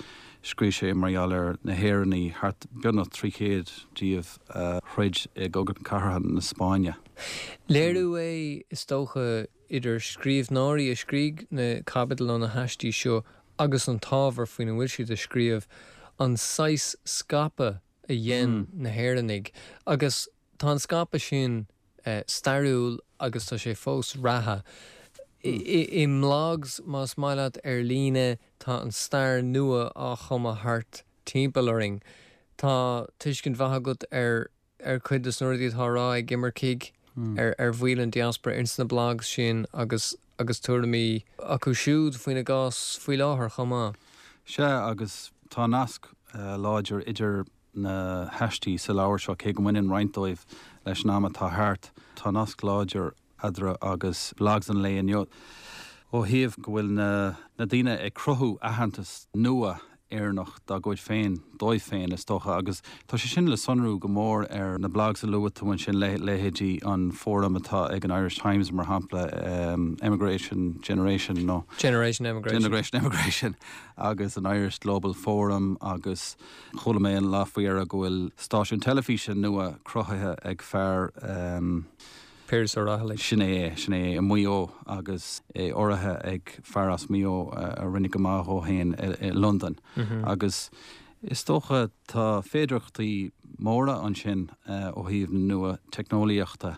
scríobh sé mar gheall ar na hÉireannaigh, thart beagnach 300 díobh a throid i gCogadh Cathartha na Spáinne. Léiriú é, is dócha, idir scríbhneoirí a scrígh na caibidil nó na haistí seo agus an t-ábhar faoina bhfuil siad ag scríobh, an saghas scaipeadh a dhein na hÉireannaigh. Agus tá an scaipeadh sin stairiúil agus tá sé fós reatha. I mblogs, más maith leat, ar líne, tá an stair nua á chumadh thart timpeall orainn. Tá tuiscint mhaith agat ar ar chuid de na rudaí atá á rá ag imircigh ar ar bhaill an diaspora ins na blogs sin agus agus tuairimí acu siúd faoina gcás faoi láthair chomh maith. Sea, agus tá nasc láidir idir na haistí sa leabhar seo, cé go mbaineann roinnt dóibh leis an am atá thart, tá nasc láidir eadarthu agus blogs an lae inniu ó thaobh go bhfuil na daoine ag cruthú aitheantas nua Éireannach dá gcuid féin, dóibh féin, is dócha, agus tá sé sin le sonrú go mór ar na blogs a luaigh tú ansin, leithéidí an fóram atá ag an Irish Times, mar shampla, Emigration Generation nó. Generation Emigration. Generation Emigration agus an Irish Global Forum agus chuala mé an lá faoi dheireadh go bhfuil stáisiún teilifíse nua cruthaithe ag fear. Piaras Ó Raghallaigh. Sin é é, sin é é, i Maigh Eo agus é urraithe ag fear as Maigh Eo a rinne go maith dhó féin i Londain. Agus is dócha tá féidearthachtaí móra ansin ó thaobh na nua-teicneolaíochta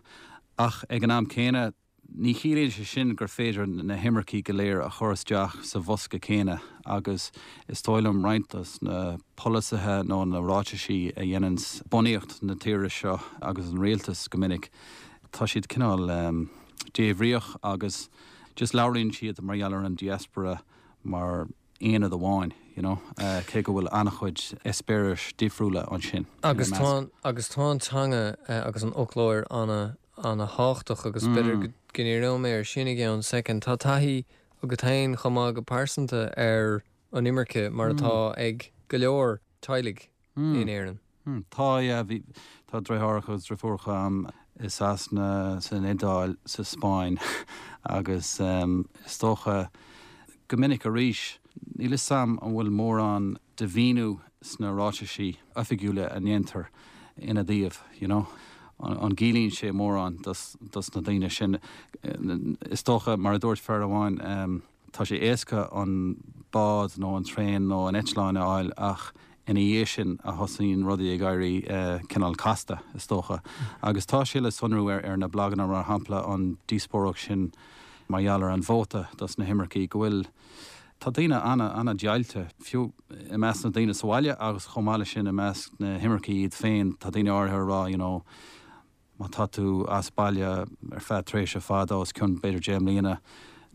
ach ag an am céanna ní chiallaíonn sé sin gur féidir na himircigh go léir a chur isteach sa bhosca céanna agus is dóigh liom roinnt dos na polasaithe nó na ráitisí a dhéananns bunaíocht na tíre seo agus an rialtas go minic, tá siad cineál débhríoch agus just labhraíonn siad mar gheall ar an diaspora mar aonad amháin, you know, cé go bhfuil an-chuid eispéiris difriúla ansin ina measc. Agus tá, agus tá an teanga agus an fhoclóir ana, ana thábhachtach agus b'fhéidir go ndíreoidh mé ar sin i gceann soicind. Tá taithí agat féin chomh maith go pearsanta ar an imirce mar atá ag go leor teaghlaigh in Éirinn. Tá, yeah, bhí, tá deartháireacha agus deirfiúracha a'm i Sasana, san Iodáil, sa Spáinn agus is dócha go minic arís, níl 'fhios a'm an bhfuil mórán de mhíniú sna ráitisí oifigiúla a ndéantar ina dtaobh, you know. An gciallaíonn sé mórán dos, dos na daoine sin? Is dócha, mar a dúirt fear amháin, Tá sé éasca an bád nó an traein nó an eitleán a fháil ach ina dhiaidh sin a thosaíonn rudaí ag éirí cineál casta, is dócha. Agus tá sé le sonrú ar na blaganna, mar shampla, an díospóireacht sin mar gheall ar an vóta dos na himircigh, go bhfuil, tá daoine ana-an-deighilte, fiú i measc na daoine sa bhaile agus chomh maith leis sin i measc na himircigh iad féin, tá daoine áirithe ag rá, you know, Má tá tú as baile ar feadh tréimhse fada, os cionn b'fhéidir 10 mbliana,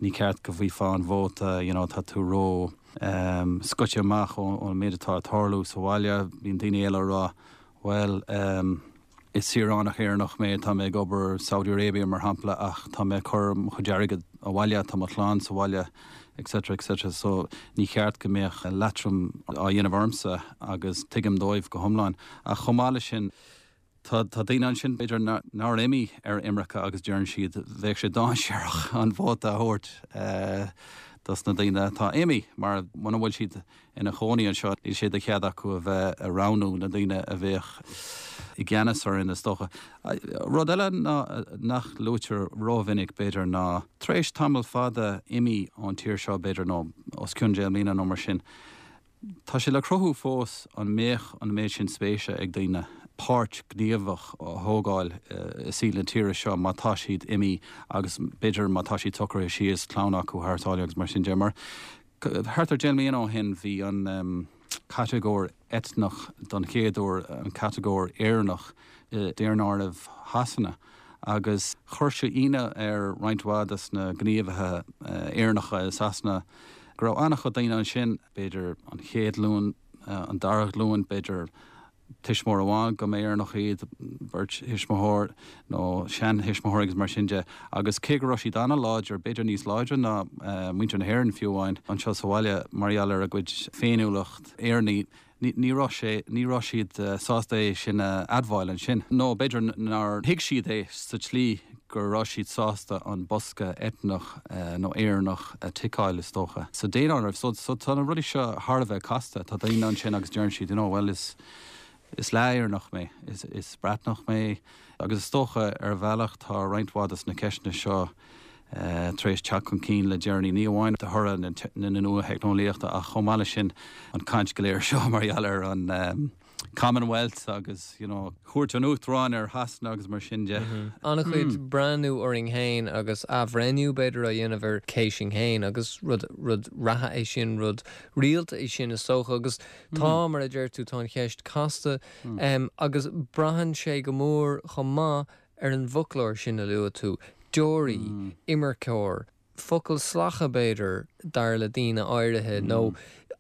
ní ceart go bhfaighfeá an vóta, you know, tá tú ró ehm scoite amach ón méid atá ag tarlú sa bhaile. Bíonn daoine eile ag rá, bhuel ehm is saoránach Éireannach mé, tá mé ag obair Saudi Arabia mar shampla ach tá mé ag cur mo chuid airgid abhaile, tá mo chlann sa bhaile etc etc so ní cheart go mbeadh leatrom á dhéanamh ormsa agus tuigim dóibh go hiomlán. Ach chomh maith leis sin, Tá daoine ansin, b'fhéidir, nár imigh ar imirce agus deireann siad, bheadh sé dainséarach an vóta a thabhairt. dos na daoine atá imithe, mar muna bhfuil siad ina chónaí anseo, níl sé de chead acu a bheith a roghnú na daoine a bheadh i gceannas orainn, is dócha. Rud eile ná nach luaitear rómhinic, b'fhéidir, ná tar éis tamall fada imithe ón tír seo, b'fhéidir, nó os cionn deich mbliana nó mar sin, tá sé le cruthú fós an mbeadh an méid sin spéise ag daoine páirt ghníomhach a thógáil i saol na tíre seo má tá siad imithe agus b'fhéidir má tá siad socraithe síos, clann acu thar sáile agus mar sin de. Mar Thart ar 10 mbliana ó shin bhí an catagóir eitneach don chéad uair, an catagóir Éireannach i daonáireamh Shasana agus chuir sé ionadh ar roinnt mhaith des na gníomhaithe Éireannacha i Sasana go raibh an-chuid daoine ansin, b'fhéidir an chéad ghlúin, an dara glúin, b'fhéidir tuismitheoir amháin go mba Éireannach iad, beirt thuismitheoir nó seanthuismitheoir agus mar sin de. Agus cé go raibh siad an-láidir, b'fhéidir níos láidre ná muintir na hÉireann fiú amháin, anseo sa bhaile mar gheall ar a gcuid féiniúlacht Éireannaí, ní raibh sé, ní raibh siad sásta é sin a admháil ansin. Nó b'fhéidir nár thuig siad é sa tslí go raibh siad sásta an bosca eitneach nó Éireannach a ticeáil, is dócha, sa daonáireamh. So, so tá na rudaí seo thar a bheith casta. Tá daoine ansin agus deireann siad, you know, well is, is leath-Éireannach mé, is, is Breatnach mé. Agus is dócha, ar bhealach, tá roinnt mhaith de na ceisteanna seo tar éis teacht chun cinn le deireanaí, ní amháin de thoradh na nua-theicneolaíochta ach chomh maith leis sin an chaint go léir seo mar gheall ar an Commonwealth agus, you know, cuairt an Uachtaráin ar Shasana agus mar sin de. An-chuid breathnú orainn féin agus athbhreithniú, b'fhéidir, á dhéanamh ar cé sinn féin agus rud, rud reatha é sin, rud rialta é sin is dócha agus tá, mar a deir tú, tá an cheist casta agus braitheann sé go mór chomh maith ar an bhfoclóir sin a luaigh tú, deoraí, imirceoir. focail salacha, b'fhéidir, dar le daoine áirithe, nó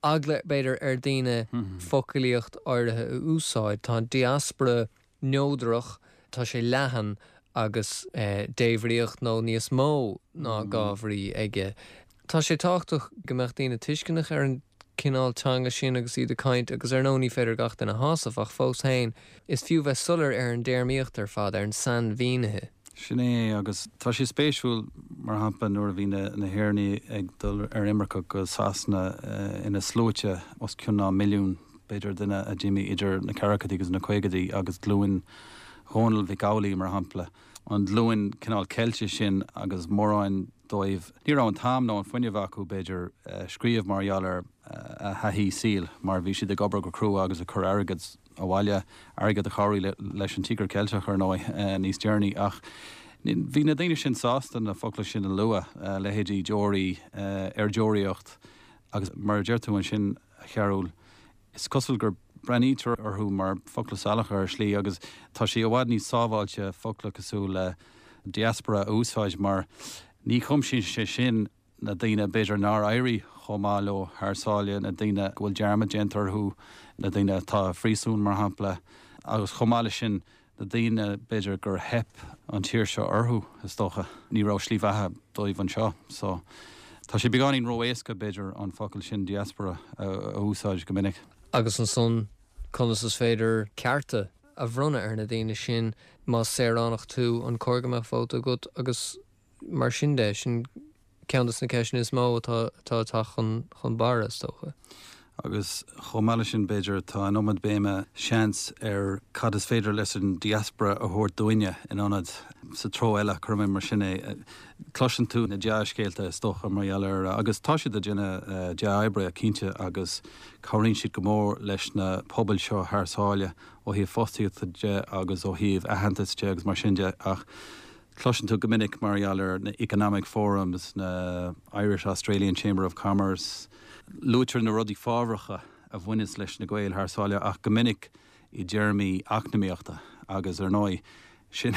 eagla, b'fhéidir, ar daoine foclaíocht áirithe a úsáid. Tá an diaspora neodrach, tá sé leathan agus débhríoch nó níos mó ná dhá bhrí aige. Tá sé tábhachtach go mbeadh daoine tuisceanach ar an cineál teanga sin agus iad ag caint agus ar ndóigh ní féidir gach duine a shásamh ach fós féin is fiú bheith soiléir ar an dtéarmaíocht ar fad, ar an sainmhínithe. Sin é, agus tá sé spéisiúil, mar shampla, nuair a bhí na hÉireannaigh ag dul ar imirce go Sasana ina sluaite, os cionn ná milliún, b'fhéidir, duine a d'imigh idir na ceathrachaidí agus na caogaidí, agus glúin Dhónaill Mhic Amhlaigh, mar shampla, an ghlúin cineál ceilte sin agus mórán dóibh, ní raibh an t-am nó an fuinneamh acu, b'fhéidir, scríobh mar gheall ar a thaithí saoil, mar bhí siad ag obair go crua agus ag cur airgead abhaile, airgead a chabhraigh leis an Tíogar Ceilteach, ar ndóigh, níos deireanaí. Ach bhí na daoine sin sásta na focla sin a lua, leithéidí deoraí, ar deoraíocht, agus mar a deir tú ansin, a Chearúil, is cosúil gur breathnaítear orthu mar focla salacha ar shlí agus tá sé i bhfad níos sábháilte focla cosúil le diaspora a úsáid mar ní chuimsíonn sé sin na daoine b'fhéidir nár éirigh chomh maith leo thar sáile, na daoine go bhfuil dearmad déanta orthu, na daoine atá i phríosún mar shampla agus chomh maith leis sin na daoine b'fhéidir gur theip an tír seo orthu is dócha. Ní raibh slí bheatha dóibh anseo so tá sé beagáinín ró-éasca b'fhéidir an focal sin diaspora a úsáid go minic. Agus ansan conas is féidir cearta a bhronnadh ar na daoine sin más saoránach tú, an cóir go mbeadh vóta agat agus mar sin de, sin ceann de na ceisteanna is mó atá ag teacht chun barra, is dócha. Agus chomh maith leis sin, b'fhéidir, tá an iomad béime, seans, ar cad is féidir leis an diaspora a thabhairt dúinne in ionad sa treo eile, cuirfidh mé mar sin é. Cloiseann tú na dea-scéalta, is dócha, mar gheall ar, agus tá siad ag déanamh dea-oibre, cinnte, agus cabhraíonn siad go mór leis na pobail seo thar sáile ó thaobh fostaíochta de agus ó thaobh aitheantais de agus mar sin de, ach Cloiseann tú go minic mar gheall ar na Economic Forums, na Irish Australian Chamber of Commerce, luaitear na rudaí fábhracha a bhaineas leis na Gaeil thar sáile ach go minic i dtéarmaí eacnamaíochta agus ar ndóigh sin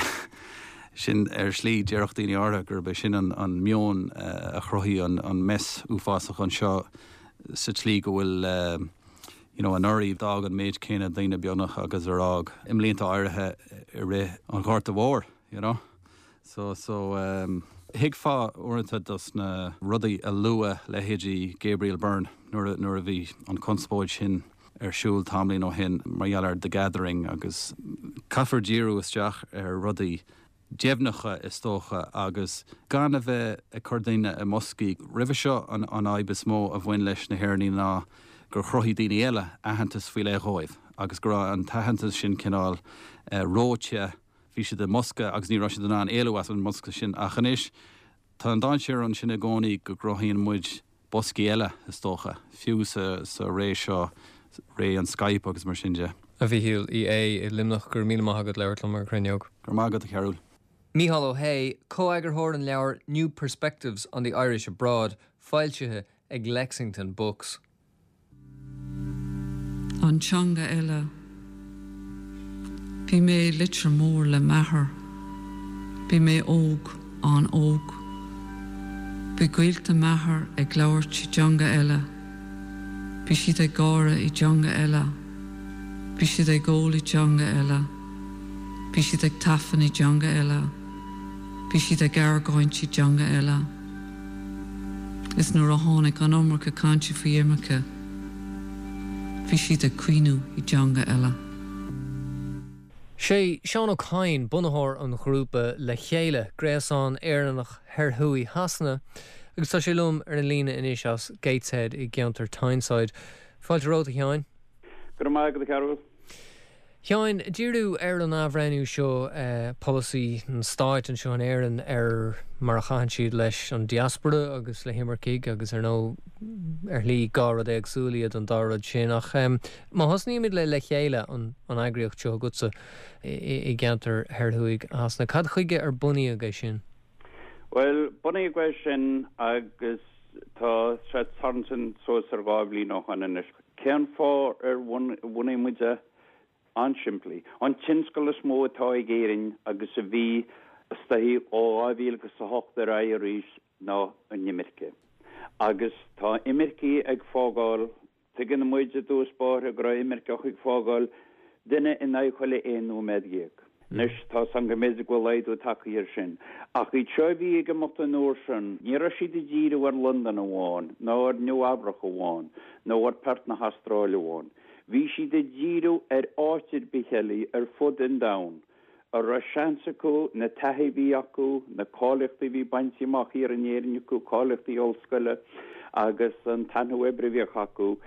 sin ar shlí déarfadh daoine áirithe gurb é sin an an meon a chruthaigh an an mess uafásach anseo sa tslí go bhfuil you know anuraidh d'fhág an méid céanna daoine beagnach agus ar fhág i mblianta áirithe i rith an Ghorta Mhóir. you know. So, so, um, thuigfeá uaireanta dos na rudaí a luadh leithéidí Gabriel Byrne nuair a, nuair a bhí an conspóid sin ar siúl tamaillín ó shin mar gheall ar The Gathering agus caithfear díriú isteach ar rudaí. deimhneacha is dócha agus gan a bheith ag cur daoine i mboscaí. Roimhe seo an fhadhb is mó a bhain leis na hÉireannaigh ná gur chruthaigh daoine eile aitheantas faoi leith dhóibh agus go raibh an t-aitheantas sin cineál reoite, bhí siad i mbosca agus ní raibh siad in ann éalú as an mbosca sin. Ach anois tá an dainséar ansin i gcónaí go gcruthaíonn muid boscaí eile, is dócha, fiú sa ré seo, ré an Skype agus mar sin de. A Mhíchíl Uí Aodha i Luimneach, go raibh míle maith agat labhairt liom ar an Chruinneog. Go raibh maith agat, a Chearúil. Mícheál Ó hAodha, comheagarthóir an leabhair New Perspectives on the Irish Abroad, foilsithe ag Lexington Books. An teanga eile. Bhí mé i Leitir Móir le m'athair. Bhí mé óg, an-óg. Bhí gaolta m'athar ag labhairt i dteanga eile. Bhí siad ag gáire i dteanga eile. Bhí siad ag ól i dteanga eile. Bhí siad ag tafann i dteanga eile. Bhí siad ag argóint i dteanga eile. Is nuair a tháinig an iomarca cainte faoi imirce, bhí siad ag caoineadh i dteanga eile. Sé Seán Ó Cadhain bunaitheoir an ghrúpa Le Chéile, gréasán Éireannach thoir thuaidh Shasana, agus tá sé liom ar an líne anois as Gateshead i gceantar Tyneside. Fáilte romhat, a Sheáin. Go raibh maith agat, a Chearúil. Sheáin, díriú ar an athbhreithniú seo, polasaí an stáit anseo in Éirinn ar mar a chaitheann siad leis an diaspora agus le himircigh agus ar ndóigh ar shlí dhá rud éagsúil iad an dá rud sin. Ach má thosnaímid le Le Chéile, an eagraíocht seo agatsa i gceantar thoir thuaidh Shasana, cad chuige ar bunaíodh é sin? Bhuel, bunaíodh é sin agus tá sé ag tarraingt suas ar 2 bhliain ó shoin anois. Cén fáth ar bhunaigh muid é? An-simplí. An tionscal is mó atá ag Éirinn agus a bhí istigh ó 2008 ar aghaidh arís ná an imirce. Agus tá imircigh ag fágáil Tuigeann muid i dtús báire go raibh imirceach ag fágáil duine in aghaidh chuile aon nóiméad dhéag. Anois, tá 's agam go mb'fhéidir go bhfuil laghdú tagtha air sin. Ach iad seo a bhí ag imeacht an uair sin, ní raibh siad ag díriú ar Londain amháin, ná ar Nua Eabhrac amháin, nó ar Perth na hAstráile amháin. Bhí siad ag díriú ar áit ar bith eile ar fud an domhain. a raibh seans acu, na taithí a bhí acu, na cáilíochtaí a bhí bainte amach thiar in Éirinn acu, cáilíochtaí ollscoile agus an taithí oibre a bhíodh acu,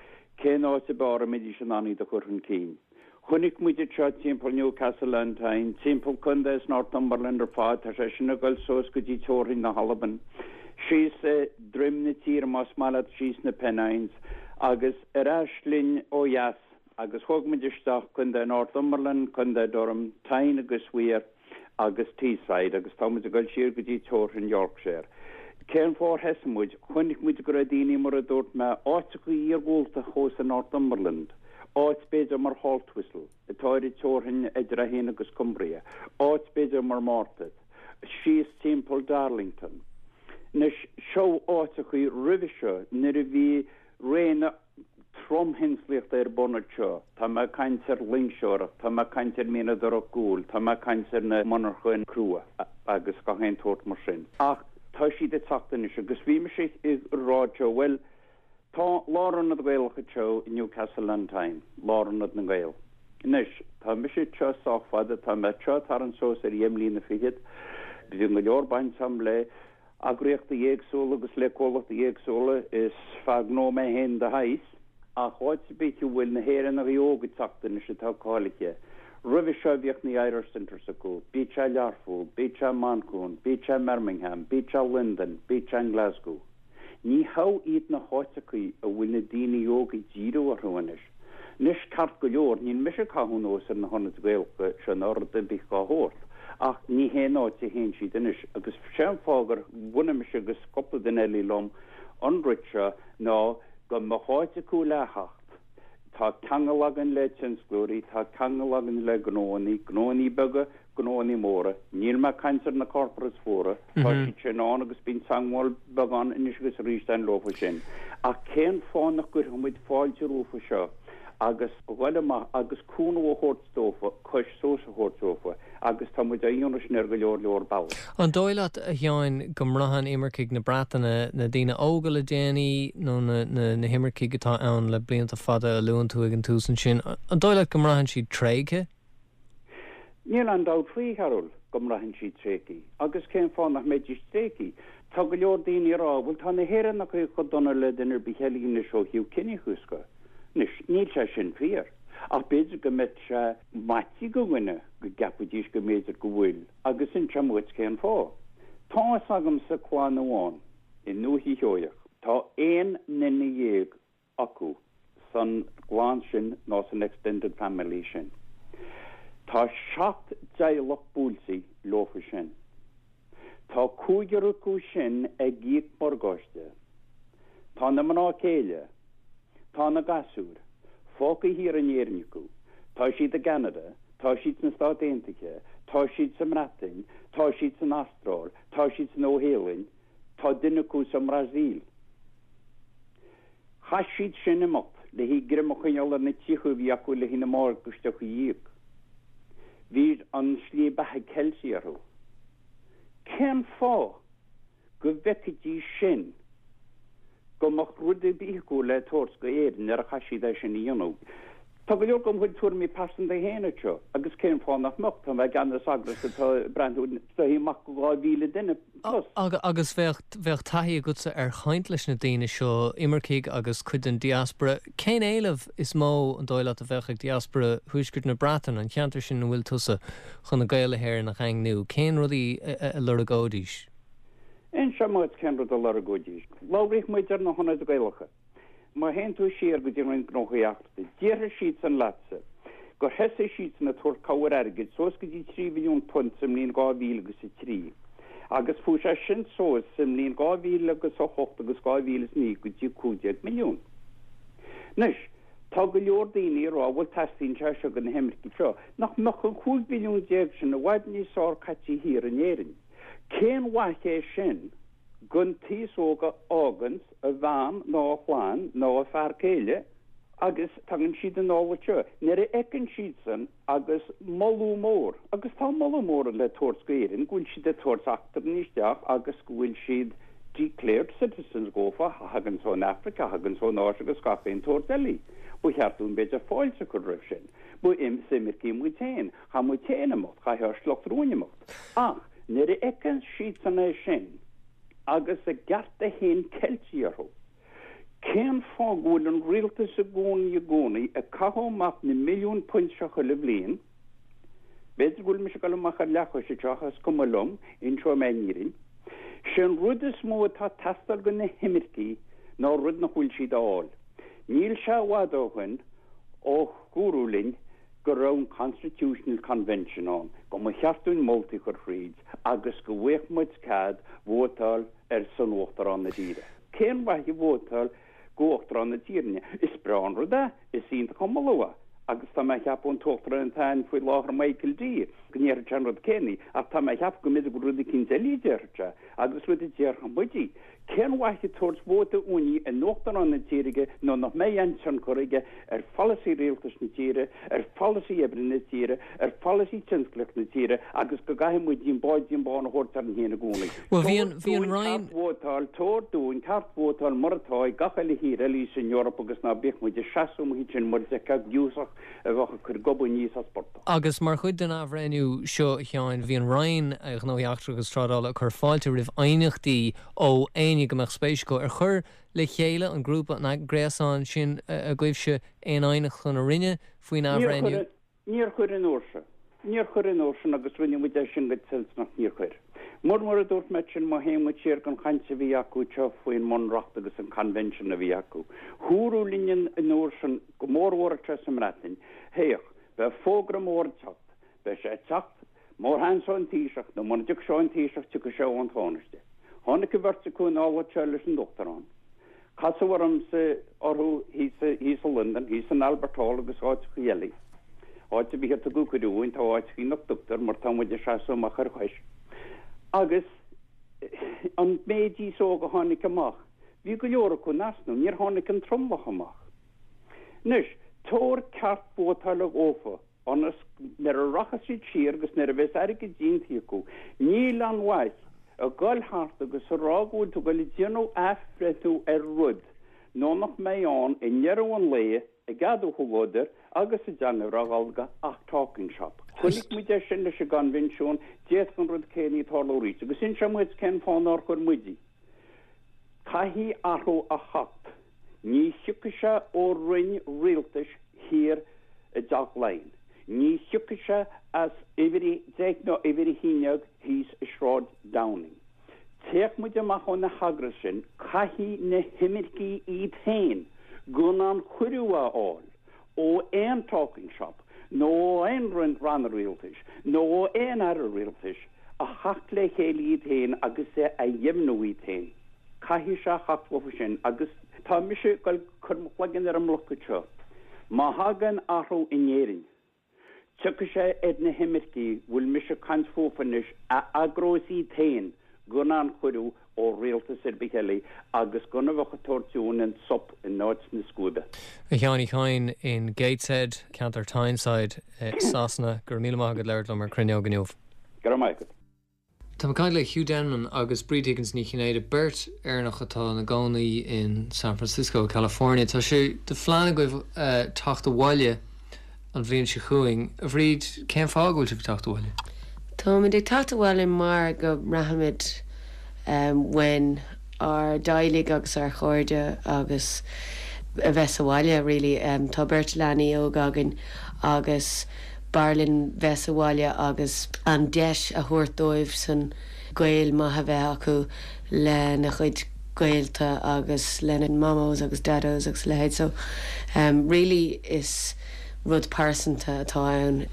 cén áit ab fhearr a mbeidís in ann iad a chur chun cinn. Chonaic muid iad seo timpeall Newcastle on Tyne, timpeall contae Northumberland ar fad, tá sé sin ag dul suas go dtí teorainn na hAlban, síos droim na tíre más maith leat, síos na Pennines, agus ar ais linn ó dheas. Agus thóg muid isteach Contae Northumberland, Contae Durham, Tyne agus Wear agus Teesside agus tá muid ag dul siar go dtí teorainn Yorkshire. Cén fáth ar thosaigh muid? Chonaic muid go raibh daoine, mar a dúirt mé, áiteacha iargúlta thuas i Northumberland, áit b'fhéidir mar Haltwhistle, atá ar an teorainn idir é féin agus Cumbria, áit b'fhéidir mar Morpeth, síos timpeall Darlington. Anois, seo áiteacha roimhe seo nuair a bhí ré na. tromthionsclaíochta ar bun anseo. Tá mé ag caint ar loingseoireacht, tá mé ag caint ar mhianadóireacht guail, tá mé ag caint ar na monarchain crua agus gach aon tsórt mar sin. Ach tá siad ag teacht anois agus bhí mise ag rá anseo, bhuel, tá lárionad Gaelach anseo i Newcastle on Tyne, lárionad na nGael. Anois, tá mise anseo sách fada, tá mé anseo ag tarraingt suas ar dheich mbliana fichead, bhí go leor baint agam le eagraíochtaí éagsúla agus le comhlachtaí éagsúla. Is fear gnó mé féin de shaghas, ach áit ar bith a bhfuil na hÉireannaigh óga ag teacht anois atá cáilithe. Roimhe seo bhíodh na Irish Centres acu, bíodh sé i Learpholl, bíodh sé i Manchain, bíodh sé i mBirmingham, bíodh sé i Londain, bíodh sé i nGlasgow. Ní hea iad na háiteachaí a bhfuil na daoine óga ag díriú orthu anois. Anois, ceart go leor, níl mise ag caitheamh anuas ar na hionaid Ghaelacha seo ná rud ar bith dhá shórt, ach ní hé an áit a théann siad anois. Agus sé an fáth gur bhunaigh mise agus cúpla duine eile liom an rud seo ná go mbeadh áit acu le theacht. Tá ceangal againn le tionsclóirí, tá ceangal againn le gnóannaí, gnóannaí beaga, gnóannaí móra. Níl mé ag caint ar na corporates mhóra, tá siad sin ann agus bíonn teagmháil beagán anois agus arís againn leofa sin. Ach cén fáth nach gcuirfeadh muid fáilte rompu seo agus dhul amach agus cúnamh a thabhairt dófa, cois suas a thabhairt dófa agus tá muid á dhéanamh sin ar go leor leor bealach. An dóigh leat, a Sheáin, go mbraitheann imircigh na Breataine, na daoine óga le déanaí nó na himircigh atá ann le blianta fada a luann tú ag an tús ansin, an dóigh leat go mbraitheann siad tréigthe? Níl aon dabht faoi, a Chearúil. Go mbraitheann siad tréigthe. Agus cén fáth nach mbeidís tréigthe? Tá go leor daoine ag rá, bhuel tá na hÉireannacha chomh dona le duine ar bith eile anois ó thaobh ciníochas de. Anois, níl sé sin fíor. Ach b'fhéidir go mbeadh sé maite do dhuine go gceapfaidís go mb'fhéidir go bhfuil, agus inseoidh mé dhuit cén fáth. Tá fhios agamsa clann amháin i nDúiche Sheoigheach, tá aon nduine dhéag acu san gclann sin nó san extended family sin. Tá 7 dteaghlach buailte leofa sin. Tá cúigear acu sin ag íoc morgáiste. Tá na mná céile, tá na gasúir, fágtha thiar in Éirinn acu. Tá siad i gCeanada, tá siad sna Stáit Aontaithe, tá siad sa mBreatain, tá siad san Astráil, tá siad sa Nua-Shéalainn, Tá duine acu sa mBrasaíl. Chaith siad sin imeacht le haghaidh greim a choinneáil ar na tithe a bhí acu le haghaidh na morgáisteacha a íoc. Bhí an slí beatha ceilte orthu. Cén fáth go bhfeicfidís sin go mbeadh rud ar bith acu le tabhairt go Éirinn nuair a chaith siad é sin a dhéanamh? Tá go leor de mo chuid tuairimí pearsanta féin anseo, agus cén fáth nach mbeadh? Tá mé i gceannas eagras atá ag breathnú soithí amach go 2,000 duine plus. Agus bheadh, bheadh taithí agatsa ar chaint leis na daoine seo, imircigh agus cuid den diaspora. Cén éileamh is mó, an dóigh leat, a bheadh ag diaspora thuaisceart na Breataine, an cheantar sin ina bhfuil tusa, chun na Gaeil na hÉireann a dhaingniú? Cén rudaí a lorgóidís? Inseoidh mé duit cén rud a lorgóidís. Labhraíodh muid ar na hionaid Ghaelacha. Má théann tú siar go dtí an Roinn Gnóthaí Eachtracha, déarfaidh siadsan leatsa gur thosaigh siadsan ag tabhairt cabhair airgid suas go dtí £3 mhilliún sa mbliain 2003 agus fuaigh sé sin suas sa mbliain 2008 agus 2009 go dtí 15 milliún. Anois, tá go leor daoine ag rá bhuel teastaíonn sé seo do na himircigh seo. Nach mbeadh an 15 mhilliún sin i bhfad níos fearr caite thiar in Éirinn? Cén mhaith é sin? Don t-aos óg a fháganns a bhean nó a chlann nó a fear céile agus tagann siad anall anseo. Nuair a fheiceann siadsan agus moladh mór, agus tá moladh mór le tabhairt go Éirinn, go bhfuil siad ag tabhairt eachtrannaigh isteach agus go bhfuil siad declared citizens dhófa a thaganns ón Afraic, a thaganns ón Áis agus gach aon tsórt eile. Ba cheart dúinn b'fhéidir fáilte a chur roimh sin. Ba is imircigh muid féin. Chaith muid féin imeacht, chaith ár sliocht romhainn imeacht. Ach nuair a fheiceann siadsan é sin agus a gcearta féin ceilte orthu, cén fáth go bhfuil an rialtas i gcónaí i gcónaí ag caitheamh amach na milliúin punt seo chuile bhliain? B'fhéidir go bhfuil mise ag dul amach ar leathchois anseo ach is cuma liom, inseoidh mé an fhírinne. Sé an rud is mó atá ag teastáil go na himircigh ná rud nach bhfuil siad a fháil. Níl sé i bhfad ó shoin ó dúradh linn go raibh an Constitutional Convention ann, go mba cheart dúinn moltaí a chur thríd agus go bhfaigheadh muid cead vótáil ar son Uachtarán na tíre. Cén mhaith vótáil go Uachtarán na tíre? Is breá an rud é, is iontach an moladh é, agus tá mé a cheapadh an tUachtarán atá ann faoi láthair Michael D. go ndéarfadh sé an rud céanna, ach tá mé a cheapadh go mb'fhéidir gur rud eicínt eile a déarfadh sé, agus rud a déarfadh muide. Cén mhaith ag tabhairt vóta uainne in Uachtarán na tíre nuair nach mbeidh aon tionchar aige ar pholasaí rialtais na tíre, ar pholasaí oibre na tíre, ar pholasaí tionsclaíoch na tíre agus go gcaithfidh muid an báidín bán a thabhairt orainn féin i gcónaí. Bhuel, bhí an, bhí an Tabhair dúinn Roinn. ceart vótáil, tabhair dúinn ceart vótáil mar atá ag gach uile thír eile san Eoraip agus ná bíodh muid ag seasamh amuigh ansin mar a d'fheicfeá giúsach a bheadh ag cur gob aníos as portach. Agus mar chuid den athbhreithniú seo, a Sheáin, bhí an Roinn Gnóthaí Eachtracha agus Trádála ag cur fáilte roimh aighneachtaí ó éinne go mbeadh spéis acu. Ar chuir Le Chéile, an grúpa, an gréasán sin agaibhse, aon aighneacht chun na Roinne faoin athbhreithniú? Níor chuir an uair seo. Níor chuir an uair sin agus rinne muid é sin go toilteanach, níor chuir. Mar mar a dúirt mé sin, má théann muid siar don chaint a bhí acu anseo faoin mBunreacht agus an Convention a bhí acu, dúradh linn an uair sin, go mórmhór anseo sa mBreatain, Féach, Beidh fógra mór ag teacht. Beidh sé ag teacht, má théann sé ón Taoiseach, nó muna dtiocfaidh sé ón Taoiseach, tiocfaidh sé ón Tánaiste. Tháinig an bheirt acu anall anseo leis an Uachtarán. Casadh ormsa orthu thíos thíos i Londain, thíos in Albert Hall agus áiteachaí eile. Áit ar bith ar tugadh cuireadh dhúinn, tá áiteachaí nach dtugtar mar tá muid ag seasamh amach ar chois. Agus an méid aos óg a tháinig amach, bhí go leor acu in easnamh, níor tháinig an tromlach amach. Anois, tabhair ceart vótála dhófa, ionas nuair a rachas siad siar agus nuair a bheas airgead déanta acu, níl aon mhaith a dhul thart agus a rá go bhfuil tú ag dul ag déanamh athbhreithniú ar rud nó nach mbeidh ann i ndeireadh an lae ag ceadú chuile dhuine. Agus sa dteanga bhreá Ghallda ach talking shop. Chonaic muid é sin leis an gCoinbhinsiún, d'fhéadfadh an rud céanna tarlú arís. Agus inseoidh mé dhuit cén fáth nár chuir muid í. Caithfidh athrú a theacht. Ní thiocfaidh sé ó roinn rialtais thiar i dTeach Laighean. Ní thiocfaidh sé as uimhir a deich nó uimhir a haon dhéag thíos i Sráid Downing. Téadh muid amach ó na heagrais sin, caithfidh na himircigh iad féin gan aon chuireadh a fháil ó aon talking shop nó ó aon ranna rialtais nó ó aon aire rialtais a theacht le chéile iad féin agus a dheimhniú iad féin. Caithfidh sé a theacht uathu sin agus tá mise ag goil cur mo chloigeann ar an mbloc anseo. Má thagann athrú in Éirinn, Tiocfaidh sé ar na himircigh bhfuil mise ag caint fúthu anois a eagrós iad féin gan aon chuireadh ó rialtas ar bith eile agus gan a bheith ag tabhairt dúinn an sop in áit na scuaibe. A Sheáin Uí Chadhain in Gateshead, ceantar Tyneside i Sasana, go raibh míle maith agat labhairt liom ar Cruinneog inniu. Go raibh maith agat. Tá mé ag caint le Hugh Denman agus Bríd Higgins Ní Chinnéide, beirt Éireannach atá ina gcónaí in San Francisco, California. Tá sé de phlean agaibh teacht abhaile an bhliain seo chugainn. A Bhríd, cén fáth go bhfuil sibh ag teacht abhaile? Táimid ag teacht abhaile mar go mbraithimid uainn ár dteaghlaigh agus ár chairde agus a bheith sa bhaile really. Tá beirt leanaí óga againn agus b'fhearr linn bheith sa bhaile agus an deis a thabhairt dóibh san gaol maith a bheith acu lena chuid gaolta agus lena mamós agus dados agus a leithéid so really is rud pearsanta atá ann.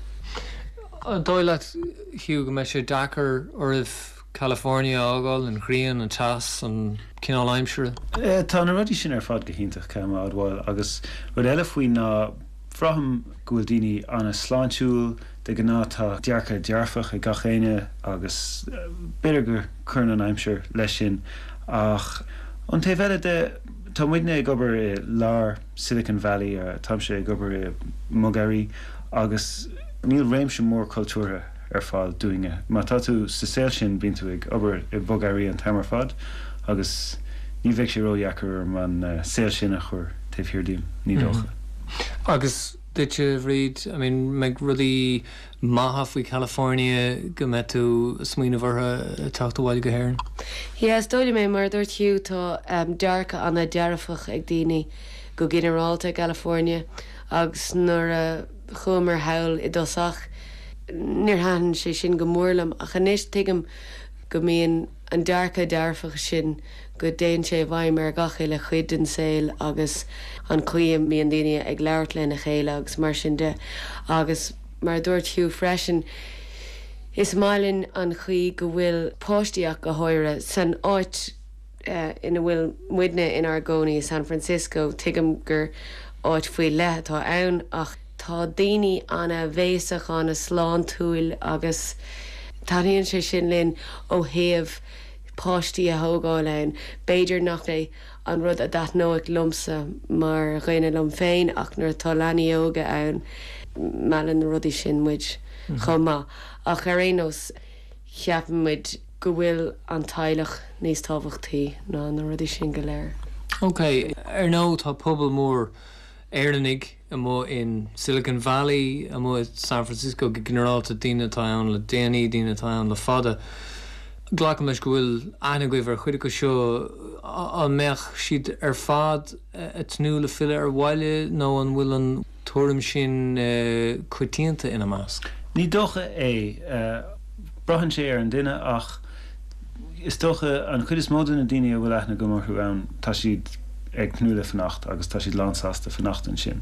An dóigh leat, Hugh, go mbeidh sé deacair oraibh California a fhágáil, an ghrian, an teas, an cineál aimsire? Tá na rudaí sin ar fad go hiontach, caithfidh mé a admháil, agus rud eile faoi ná Braithim go bhfuil daoine an-sláintiúil, de ghnáth tá dearcadh dearfach ag gach éinne agus b'fhéidir go cuireann an aimsir leis sin ach ón taobh eile de tá muidne ag obair i lár Silicon Valley, táimse ag obair i mbogearraí agus níl réimse mór cultúrtha ar fáil dúinne. Má tá tú sa saol sin bíonn tú ag obair i mbogearraí an t-am ar fad agus ní bheidh sé ródheacair orm an saol sin a chur taobh thiar díom, ní dócha. Agus duitse, a Bhríd, I mean, mbeidh rudaí maithe faoi California go mbeidh tú ag smaoineamh orthu ag teacht abhaile go hÉirinn? Yeah, is dóigh liom é, mar a dúirt Hugh, tá dearcadh an-dearfach ag daoine go ginearálta i gCalifornia agus nuair a chuamar thall i dtosach níor thaitin sé sin go mór liom ach anois tuigim go mbíonn an dearcadh dearfach sin go dtéann sé i bhfeidhm ar gach uile chuid den saol agus an chaoi a mbíonn daoine ag labhairt lena chéile agus mar sin de. Agus mar a dúirt Hugh freisin, is maith linn an chaoi go bhfuil páistí ach go háirithe san áit ina bhfuil muidne inár gcónaí i San Francisco, tuigim gur áit faoi leith atá ann ach tá daoine ana-bhéasach, ana-shláintiúil agus taitníonn sé sin linn ó thaobh páistí a thógáil ann. B'fhéidir nach é an rud a dtaitneoidh liomsa mar dhuine liom féin ach nuair atá leanaí óga ann, meallann na rudaí sin muid chomh maith. Ach ar aon nós, ceapann muid go bhfuil an teaghlach níos tábhachtaí ná na rudaí sin go léir. Ok, ar ndóigh tá pobal mór Éireannaigh amuigh in Silicon Valley, amuigh i San Francisco go ginearálta, daoine atá ann le déanaí, daoine atá ann le fada. Glacaim leis go bhfuil aithne agaibh ar chuid acu seo. An mbeadh siad ar fad ag tnúth le filleadh ar bhaile nó an bhfuil an tuairim sin coitianta ina measc? Ní dócha é. Braitheann sé ar an duine ach Is dócha, an chuid is mó de na daoine a bhfuil aithne agam orthu ann, tá siad ag tnúth le fanacht agus tá siad lánsásta fanacht ansin.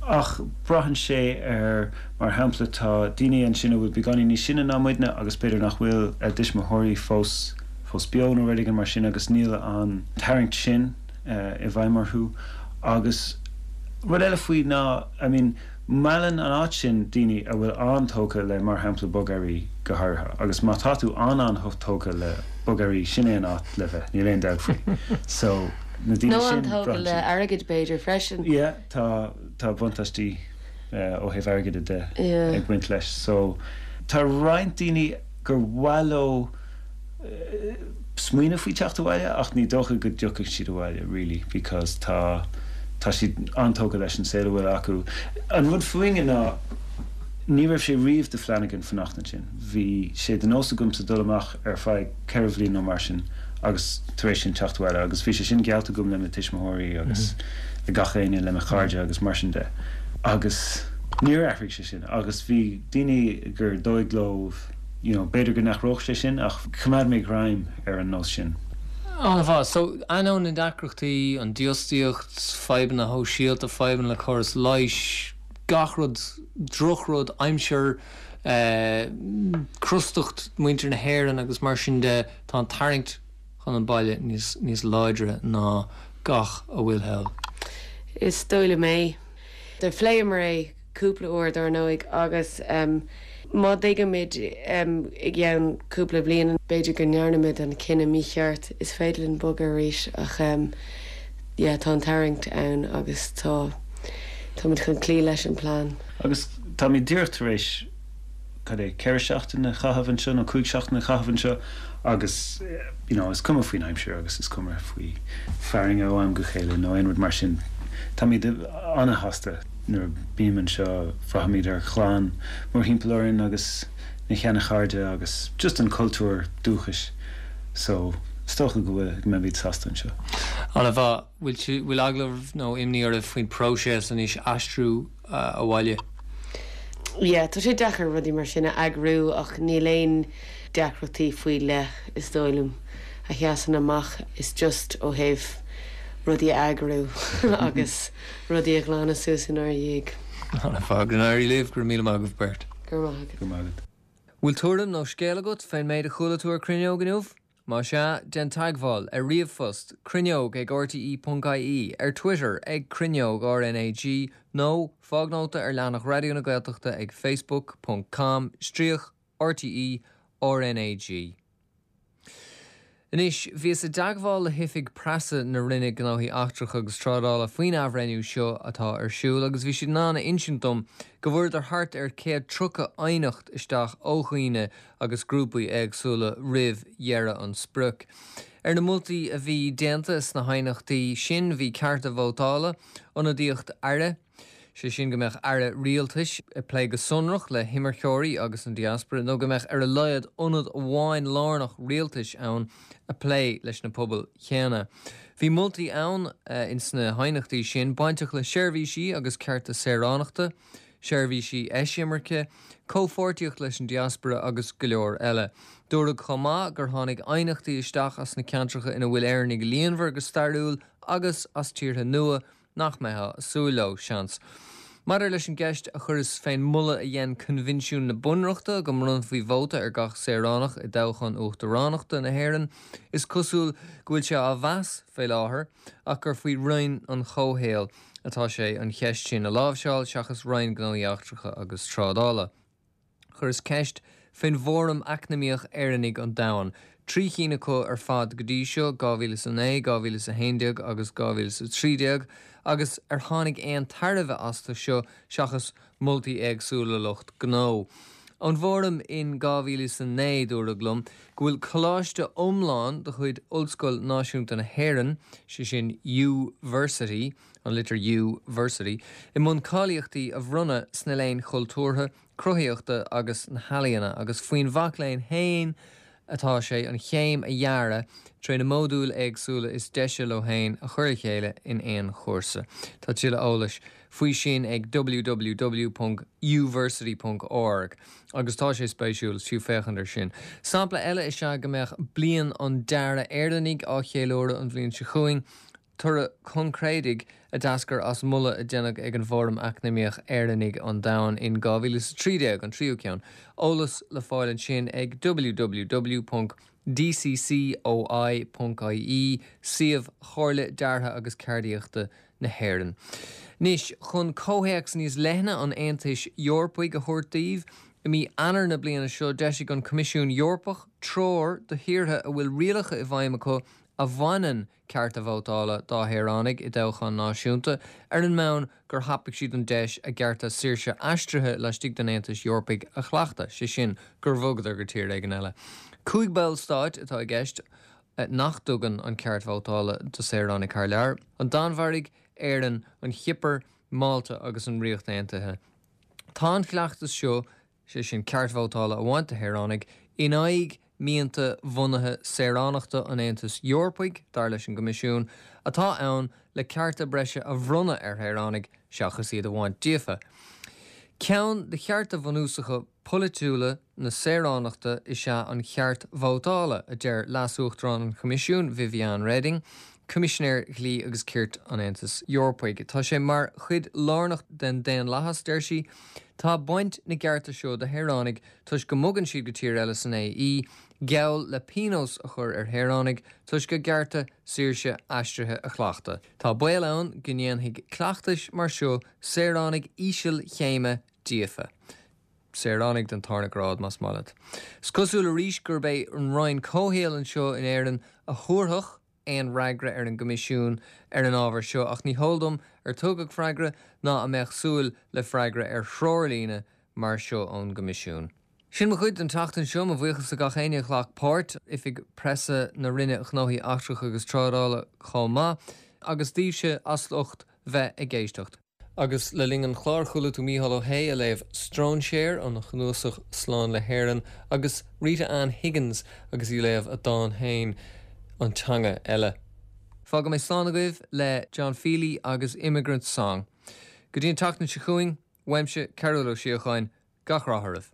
Ach braitheann sé ar, mar shampla, tá daoine ansin a bhfuil beagáinín níos sine ná muidne agus b'fhéidir nach bhfuil a dtuismitheoirí fós fós beo nó rud éigin mar sin agus níl an tarraingt sin i bhfeidhm orthu. Agus rud eile faoi ná, I mean, Meallann an áit sin daoine a bhfuil an-tógtha le mar shampla bogearraí go háirithe agus má tá tú an-an-tógtha le bogearraí sin é an áit le bheith, níl aon dabht faoi. So na daoine Nó sin, an-tógtha braitheann le siad. airgead b'fhéidir freisin. Yeah, tá, tá buntáistí ó thaobh airgid de Yeah. ag baint leis. So tá roinnt daoine gur mhaith leo smaoineamh faoi teacht abhaile ach ní dócha go dtiocfaidh siad abhaile really because tá. Tá siad an-tógtha leis an saol a bhfuil acu. An rud fúinne ná ní raibh sé riamh de phlean againn fanacht ansin. Bhí sé de nós agamsa dul amach ar feadh 4 bhliain nó mar sin agus tar éis sin teacht abhaile agus bhí sé sin geallta agam le mo tuismitheoirí agus le gach éinne, le mo chairde agus mar sin de. Agus níor athraigh sé sin agus bhí daoine gur dóigh leo you know b'fhéidir go n-athródh sé sin ach choimeád mé greim ar an nós sin. An-mhaith. So, ainneoin na ndeacrachtaí, an dífhostaíocht, fadhbanna shóisialta, fadhbanna le córas leighis, gach rud, drochrud, aimsir, crostacht muintir na hÉireann agus mar sin de, tá an tarraingt chun an baile níos, níos láidre ná gach a bhfuil thall. Is dóigh liom é. Do phléamar é cúpla uair, dár ndóigh, agus má thuigimid i gceann cúpla bliain, b'fhéidir go ndearna muid an cinneadh mícheart, is féidir linn bogadh arís ach yeah, tá an tarraingt ann agus tá, táimid chun cloí leis an bplean. Agus táimid díreach tar éis, cad é, 4 seachtain a chaitheamh anseo nó 5 seachtain a chaitheamh anseo agus you know is cuma faoin aimsir agus is cuma faoi fearthainn ó am go chéile nó aon rud mar sin. Táimid an-shásta nuair a bím anseo, braithimid ar chlann mórthimpeall orainn agus na sheana-chairde agus just an cultúr dúchais so is dócha go bhfuil, go mbeimid sásta anseo. An-mhaith. Bhfuil, bhfuil eagla oraibh nó imní oraibh faoin próiseas anois aistriú abhaile? Yeah, tá sé deacair rudaí mar sin a eagrú ach níl aon deacrachtaí faoi leith is dóigh liom a sheasann amach. Is just ó thaobh rudaí a eagrú agus rudaí a ghlanadh suas inár dhiaidh. An-mhaith. Go n-éirí libh. Go raibh míle maith agaibh beirt. Go raibh maith agat. Go raibh maith agat. Bhfuil tuairim nó scéal agat fén méid a chuala tú ar Cruinneog inniu? Más ea, déan teagmháil, ar ríomhphost, cruinneog ag rte.ie, ar Twitter ag Cruinneog RnaG nó fág nóta ar leathanach Raidió na Gaeltachta ag facebook ponc com stríoc rte RnaG. Anois, bhíos i dteagmháil le hoifig preasa na Roinne Gnóthaí Eachtracha agus Trádála faoin athbhreithniú seo atá ar siúl agus bhí siad in ann a insint dom go bhfuaireadar thart ar 130 aighneacht isteach ó dhaoine agus grúpaí éagsúla roimh dheireadh an sprioc. Ar na moltaí a bhí déanta sna haighneachtaí sin bhí cearta vótála, ionadaíocht aire, sé sin go mbeadh aire rialtais ag plé go sonrach le himirceoirí agus an diaspora nó go mbeadh ar a laghad ionad amháin lárnach rialtais ann ag plé leis na pobail chéanna. Bhí moltaí ann ins na haighneachtaí sin bainteach le seirbhísí agus cearta saoránachta, seirbhísí eisimirce, comhpháirtíocht leis an diaspora agus go leor eile. Dúradh chomh maith gur tháinig aighneachtaí isteach as na ceantracha ina bhfuil Éireannaigh líonmhar go stairiúil agus as tíortha nua nach mbeifeá ag súil leo, seans. Maidir leis an gceist a chuireas fén moladh a dhein Coinbhinsiún na Bunreachta go mbronnfaí vóta ar gach saoránach i dtoghchán uachtaránachta na hÉireann, is cosúil go bhfuil sé á mheas fé láthair ach gur faoi Roinn an Chomhshaoil atá sé an cheist sin a láimhseáil seachas Roinn Gnóthaí Eachtracha agus Trádála. Chuireas ceist fén bhFóram Eacnamaíoch Éireannaigh an Domhain, 3 chinn acu ar fad go dtí seo, 2009, 2011 agus 2013, agus ar tháinig aon tairbhe astu seo seachas moltaí éagsúla lucht gnó. Ón bhFóram in 2009 dúradh liom go bhfuil coláiste iomlán de chuid Ollscoil Náisiúnta na hÉireann, sé sin Uversity, an litir U, versity, i mbun cáilíochtaí a bhronnadh sna léinn chultúrtha, cruthaitheachta agus na healaíona agus faoin mhac léinn féin atá sé an chéim a dhearadh tré na módúil éagsúla is deise leo féin a chur le chéile in aon chúrsa. Tá tuilleadh eolais faoi sin ag www.uversity.org agus tá sé spéisiúil, is fiú féachaint ar sin. Sampla eile is ea go mbeadh Bliain an Dearaidh Éireannaigh á cheiliúradh an bhliain seo chugainn, toradh coincréidigh a d'eascair as moladh a deineadh ag an bhFóram Eacnamaíoch Éireannaigh an Domhain in 2013, an tríú ceann. Eolas le fáil ansin ag www.dccoi.ie, suíomh Chomhairle Deartha agus Ceardaíochta na hÉireann. Anois, chun comhthéacs níos leithne an Aontais Eorpaigh a thabhairt daoibh, i mí Eanáir na bliana seo d'eisigh an Coimisiún Eorpach treoir do thíortha a bhfuil rialacha i bhfeidhm acu a bhaineann cearta vótála dá shaoránaigh i dtoghcháin náisiúnta, ar an mbonn gur thapaigh siad an deis a gcearta saoirse aistrithe laistigh den Aontas Eorpaigh a chleachtadh, sé sin, gur bhogadar go tír éigin eile. 5 ballstáit atá i gceist. nach dtugann an ceart vótála do saoránaigh thar lear, an Danmhairg, Éirinn, an Chipir, Málta agus an Ríocht Aontaithe. Tá an cleachtas seo, sé sin ceart vótála a bhaint de shaoránaigh, in aghaidh mianta bhunaithe saoránachta an Aontais Eorpaigh, dar leis an gCoimisiún, atá ann le cearta breise a bhronnadh ar shaoránaigh seachas iad a bhaint díofa. Ceann de chearta bhunúsacha polaitiúla na saoránachta is ea an ceart vótála, a deir Leas-Uachtarán an Choimisiúin, Viviane Reding, Coimisinéir Dhlí agus Cirt an Aontais Eorpaigh. Tá sé mar chuid lárnach den daonlathas, deir sí. Tá baint na gcearta seo de shaoránaigh toisc go mbogann siad go tír eile san AE, geall le pionós a chur ar shaoránaigh toisc a gcearta saoirse aistrithe a chleachtadh. Tá baol ann go ndéanfaidh cleachtais mar seo saoránaigh ísealchéime díofa. Saoránaigh den tarna grád, más maith leat. Is cosúil arís gurb é an Roinn Comhshaoil anseo in Éirinn a thabharfadh aon fhreagra ar an gCoimisiún ar an ábhar seo ach ní heol dom ar tugadh freagra ná an mbeadh súil le freagra ar threoirlíne mar seo ón gCoimisiún. Sin mo chuid don tseachtain seo. Mo bhuíochas do gach éinne a ghlac páirt, Oifig Preasa na Roinne Gnóthaí Eachtracha agus Trádála chomh maith, agus daoibhse as ucht bheith ag éisteacht. Agus le linn an chláir chuala tú Mícheál Ó hAodha ag léamh 'Stróinséir' óna chnuasach Slán le hÉirinn agus Rita Ann Higgins agus í ag léamh a dán féin 'An Teanga Eile'. Fágfaidh mé slán agaibh le John Feely agus 'Immigrant Song'. Go dtí an tseachtain seo chugainn, uaimse, Cearbhall Ó Síocháin, gach rath oraibh.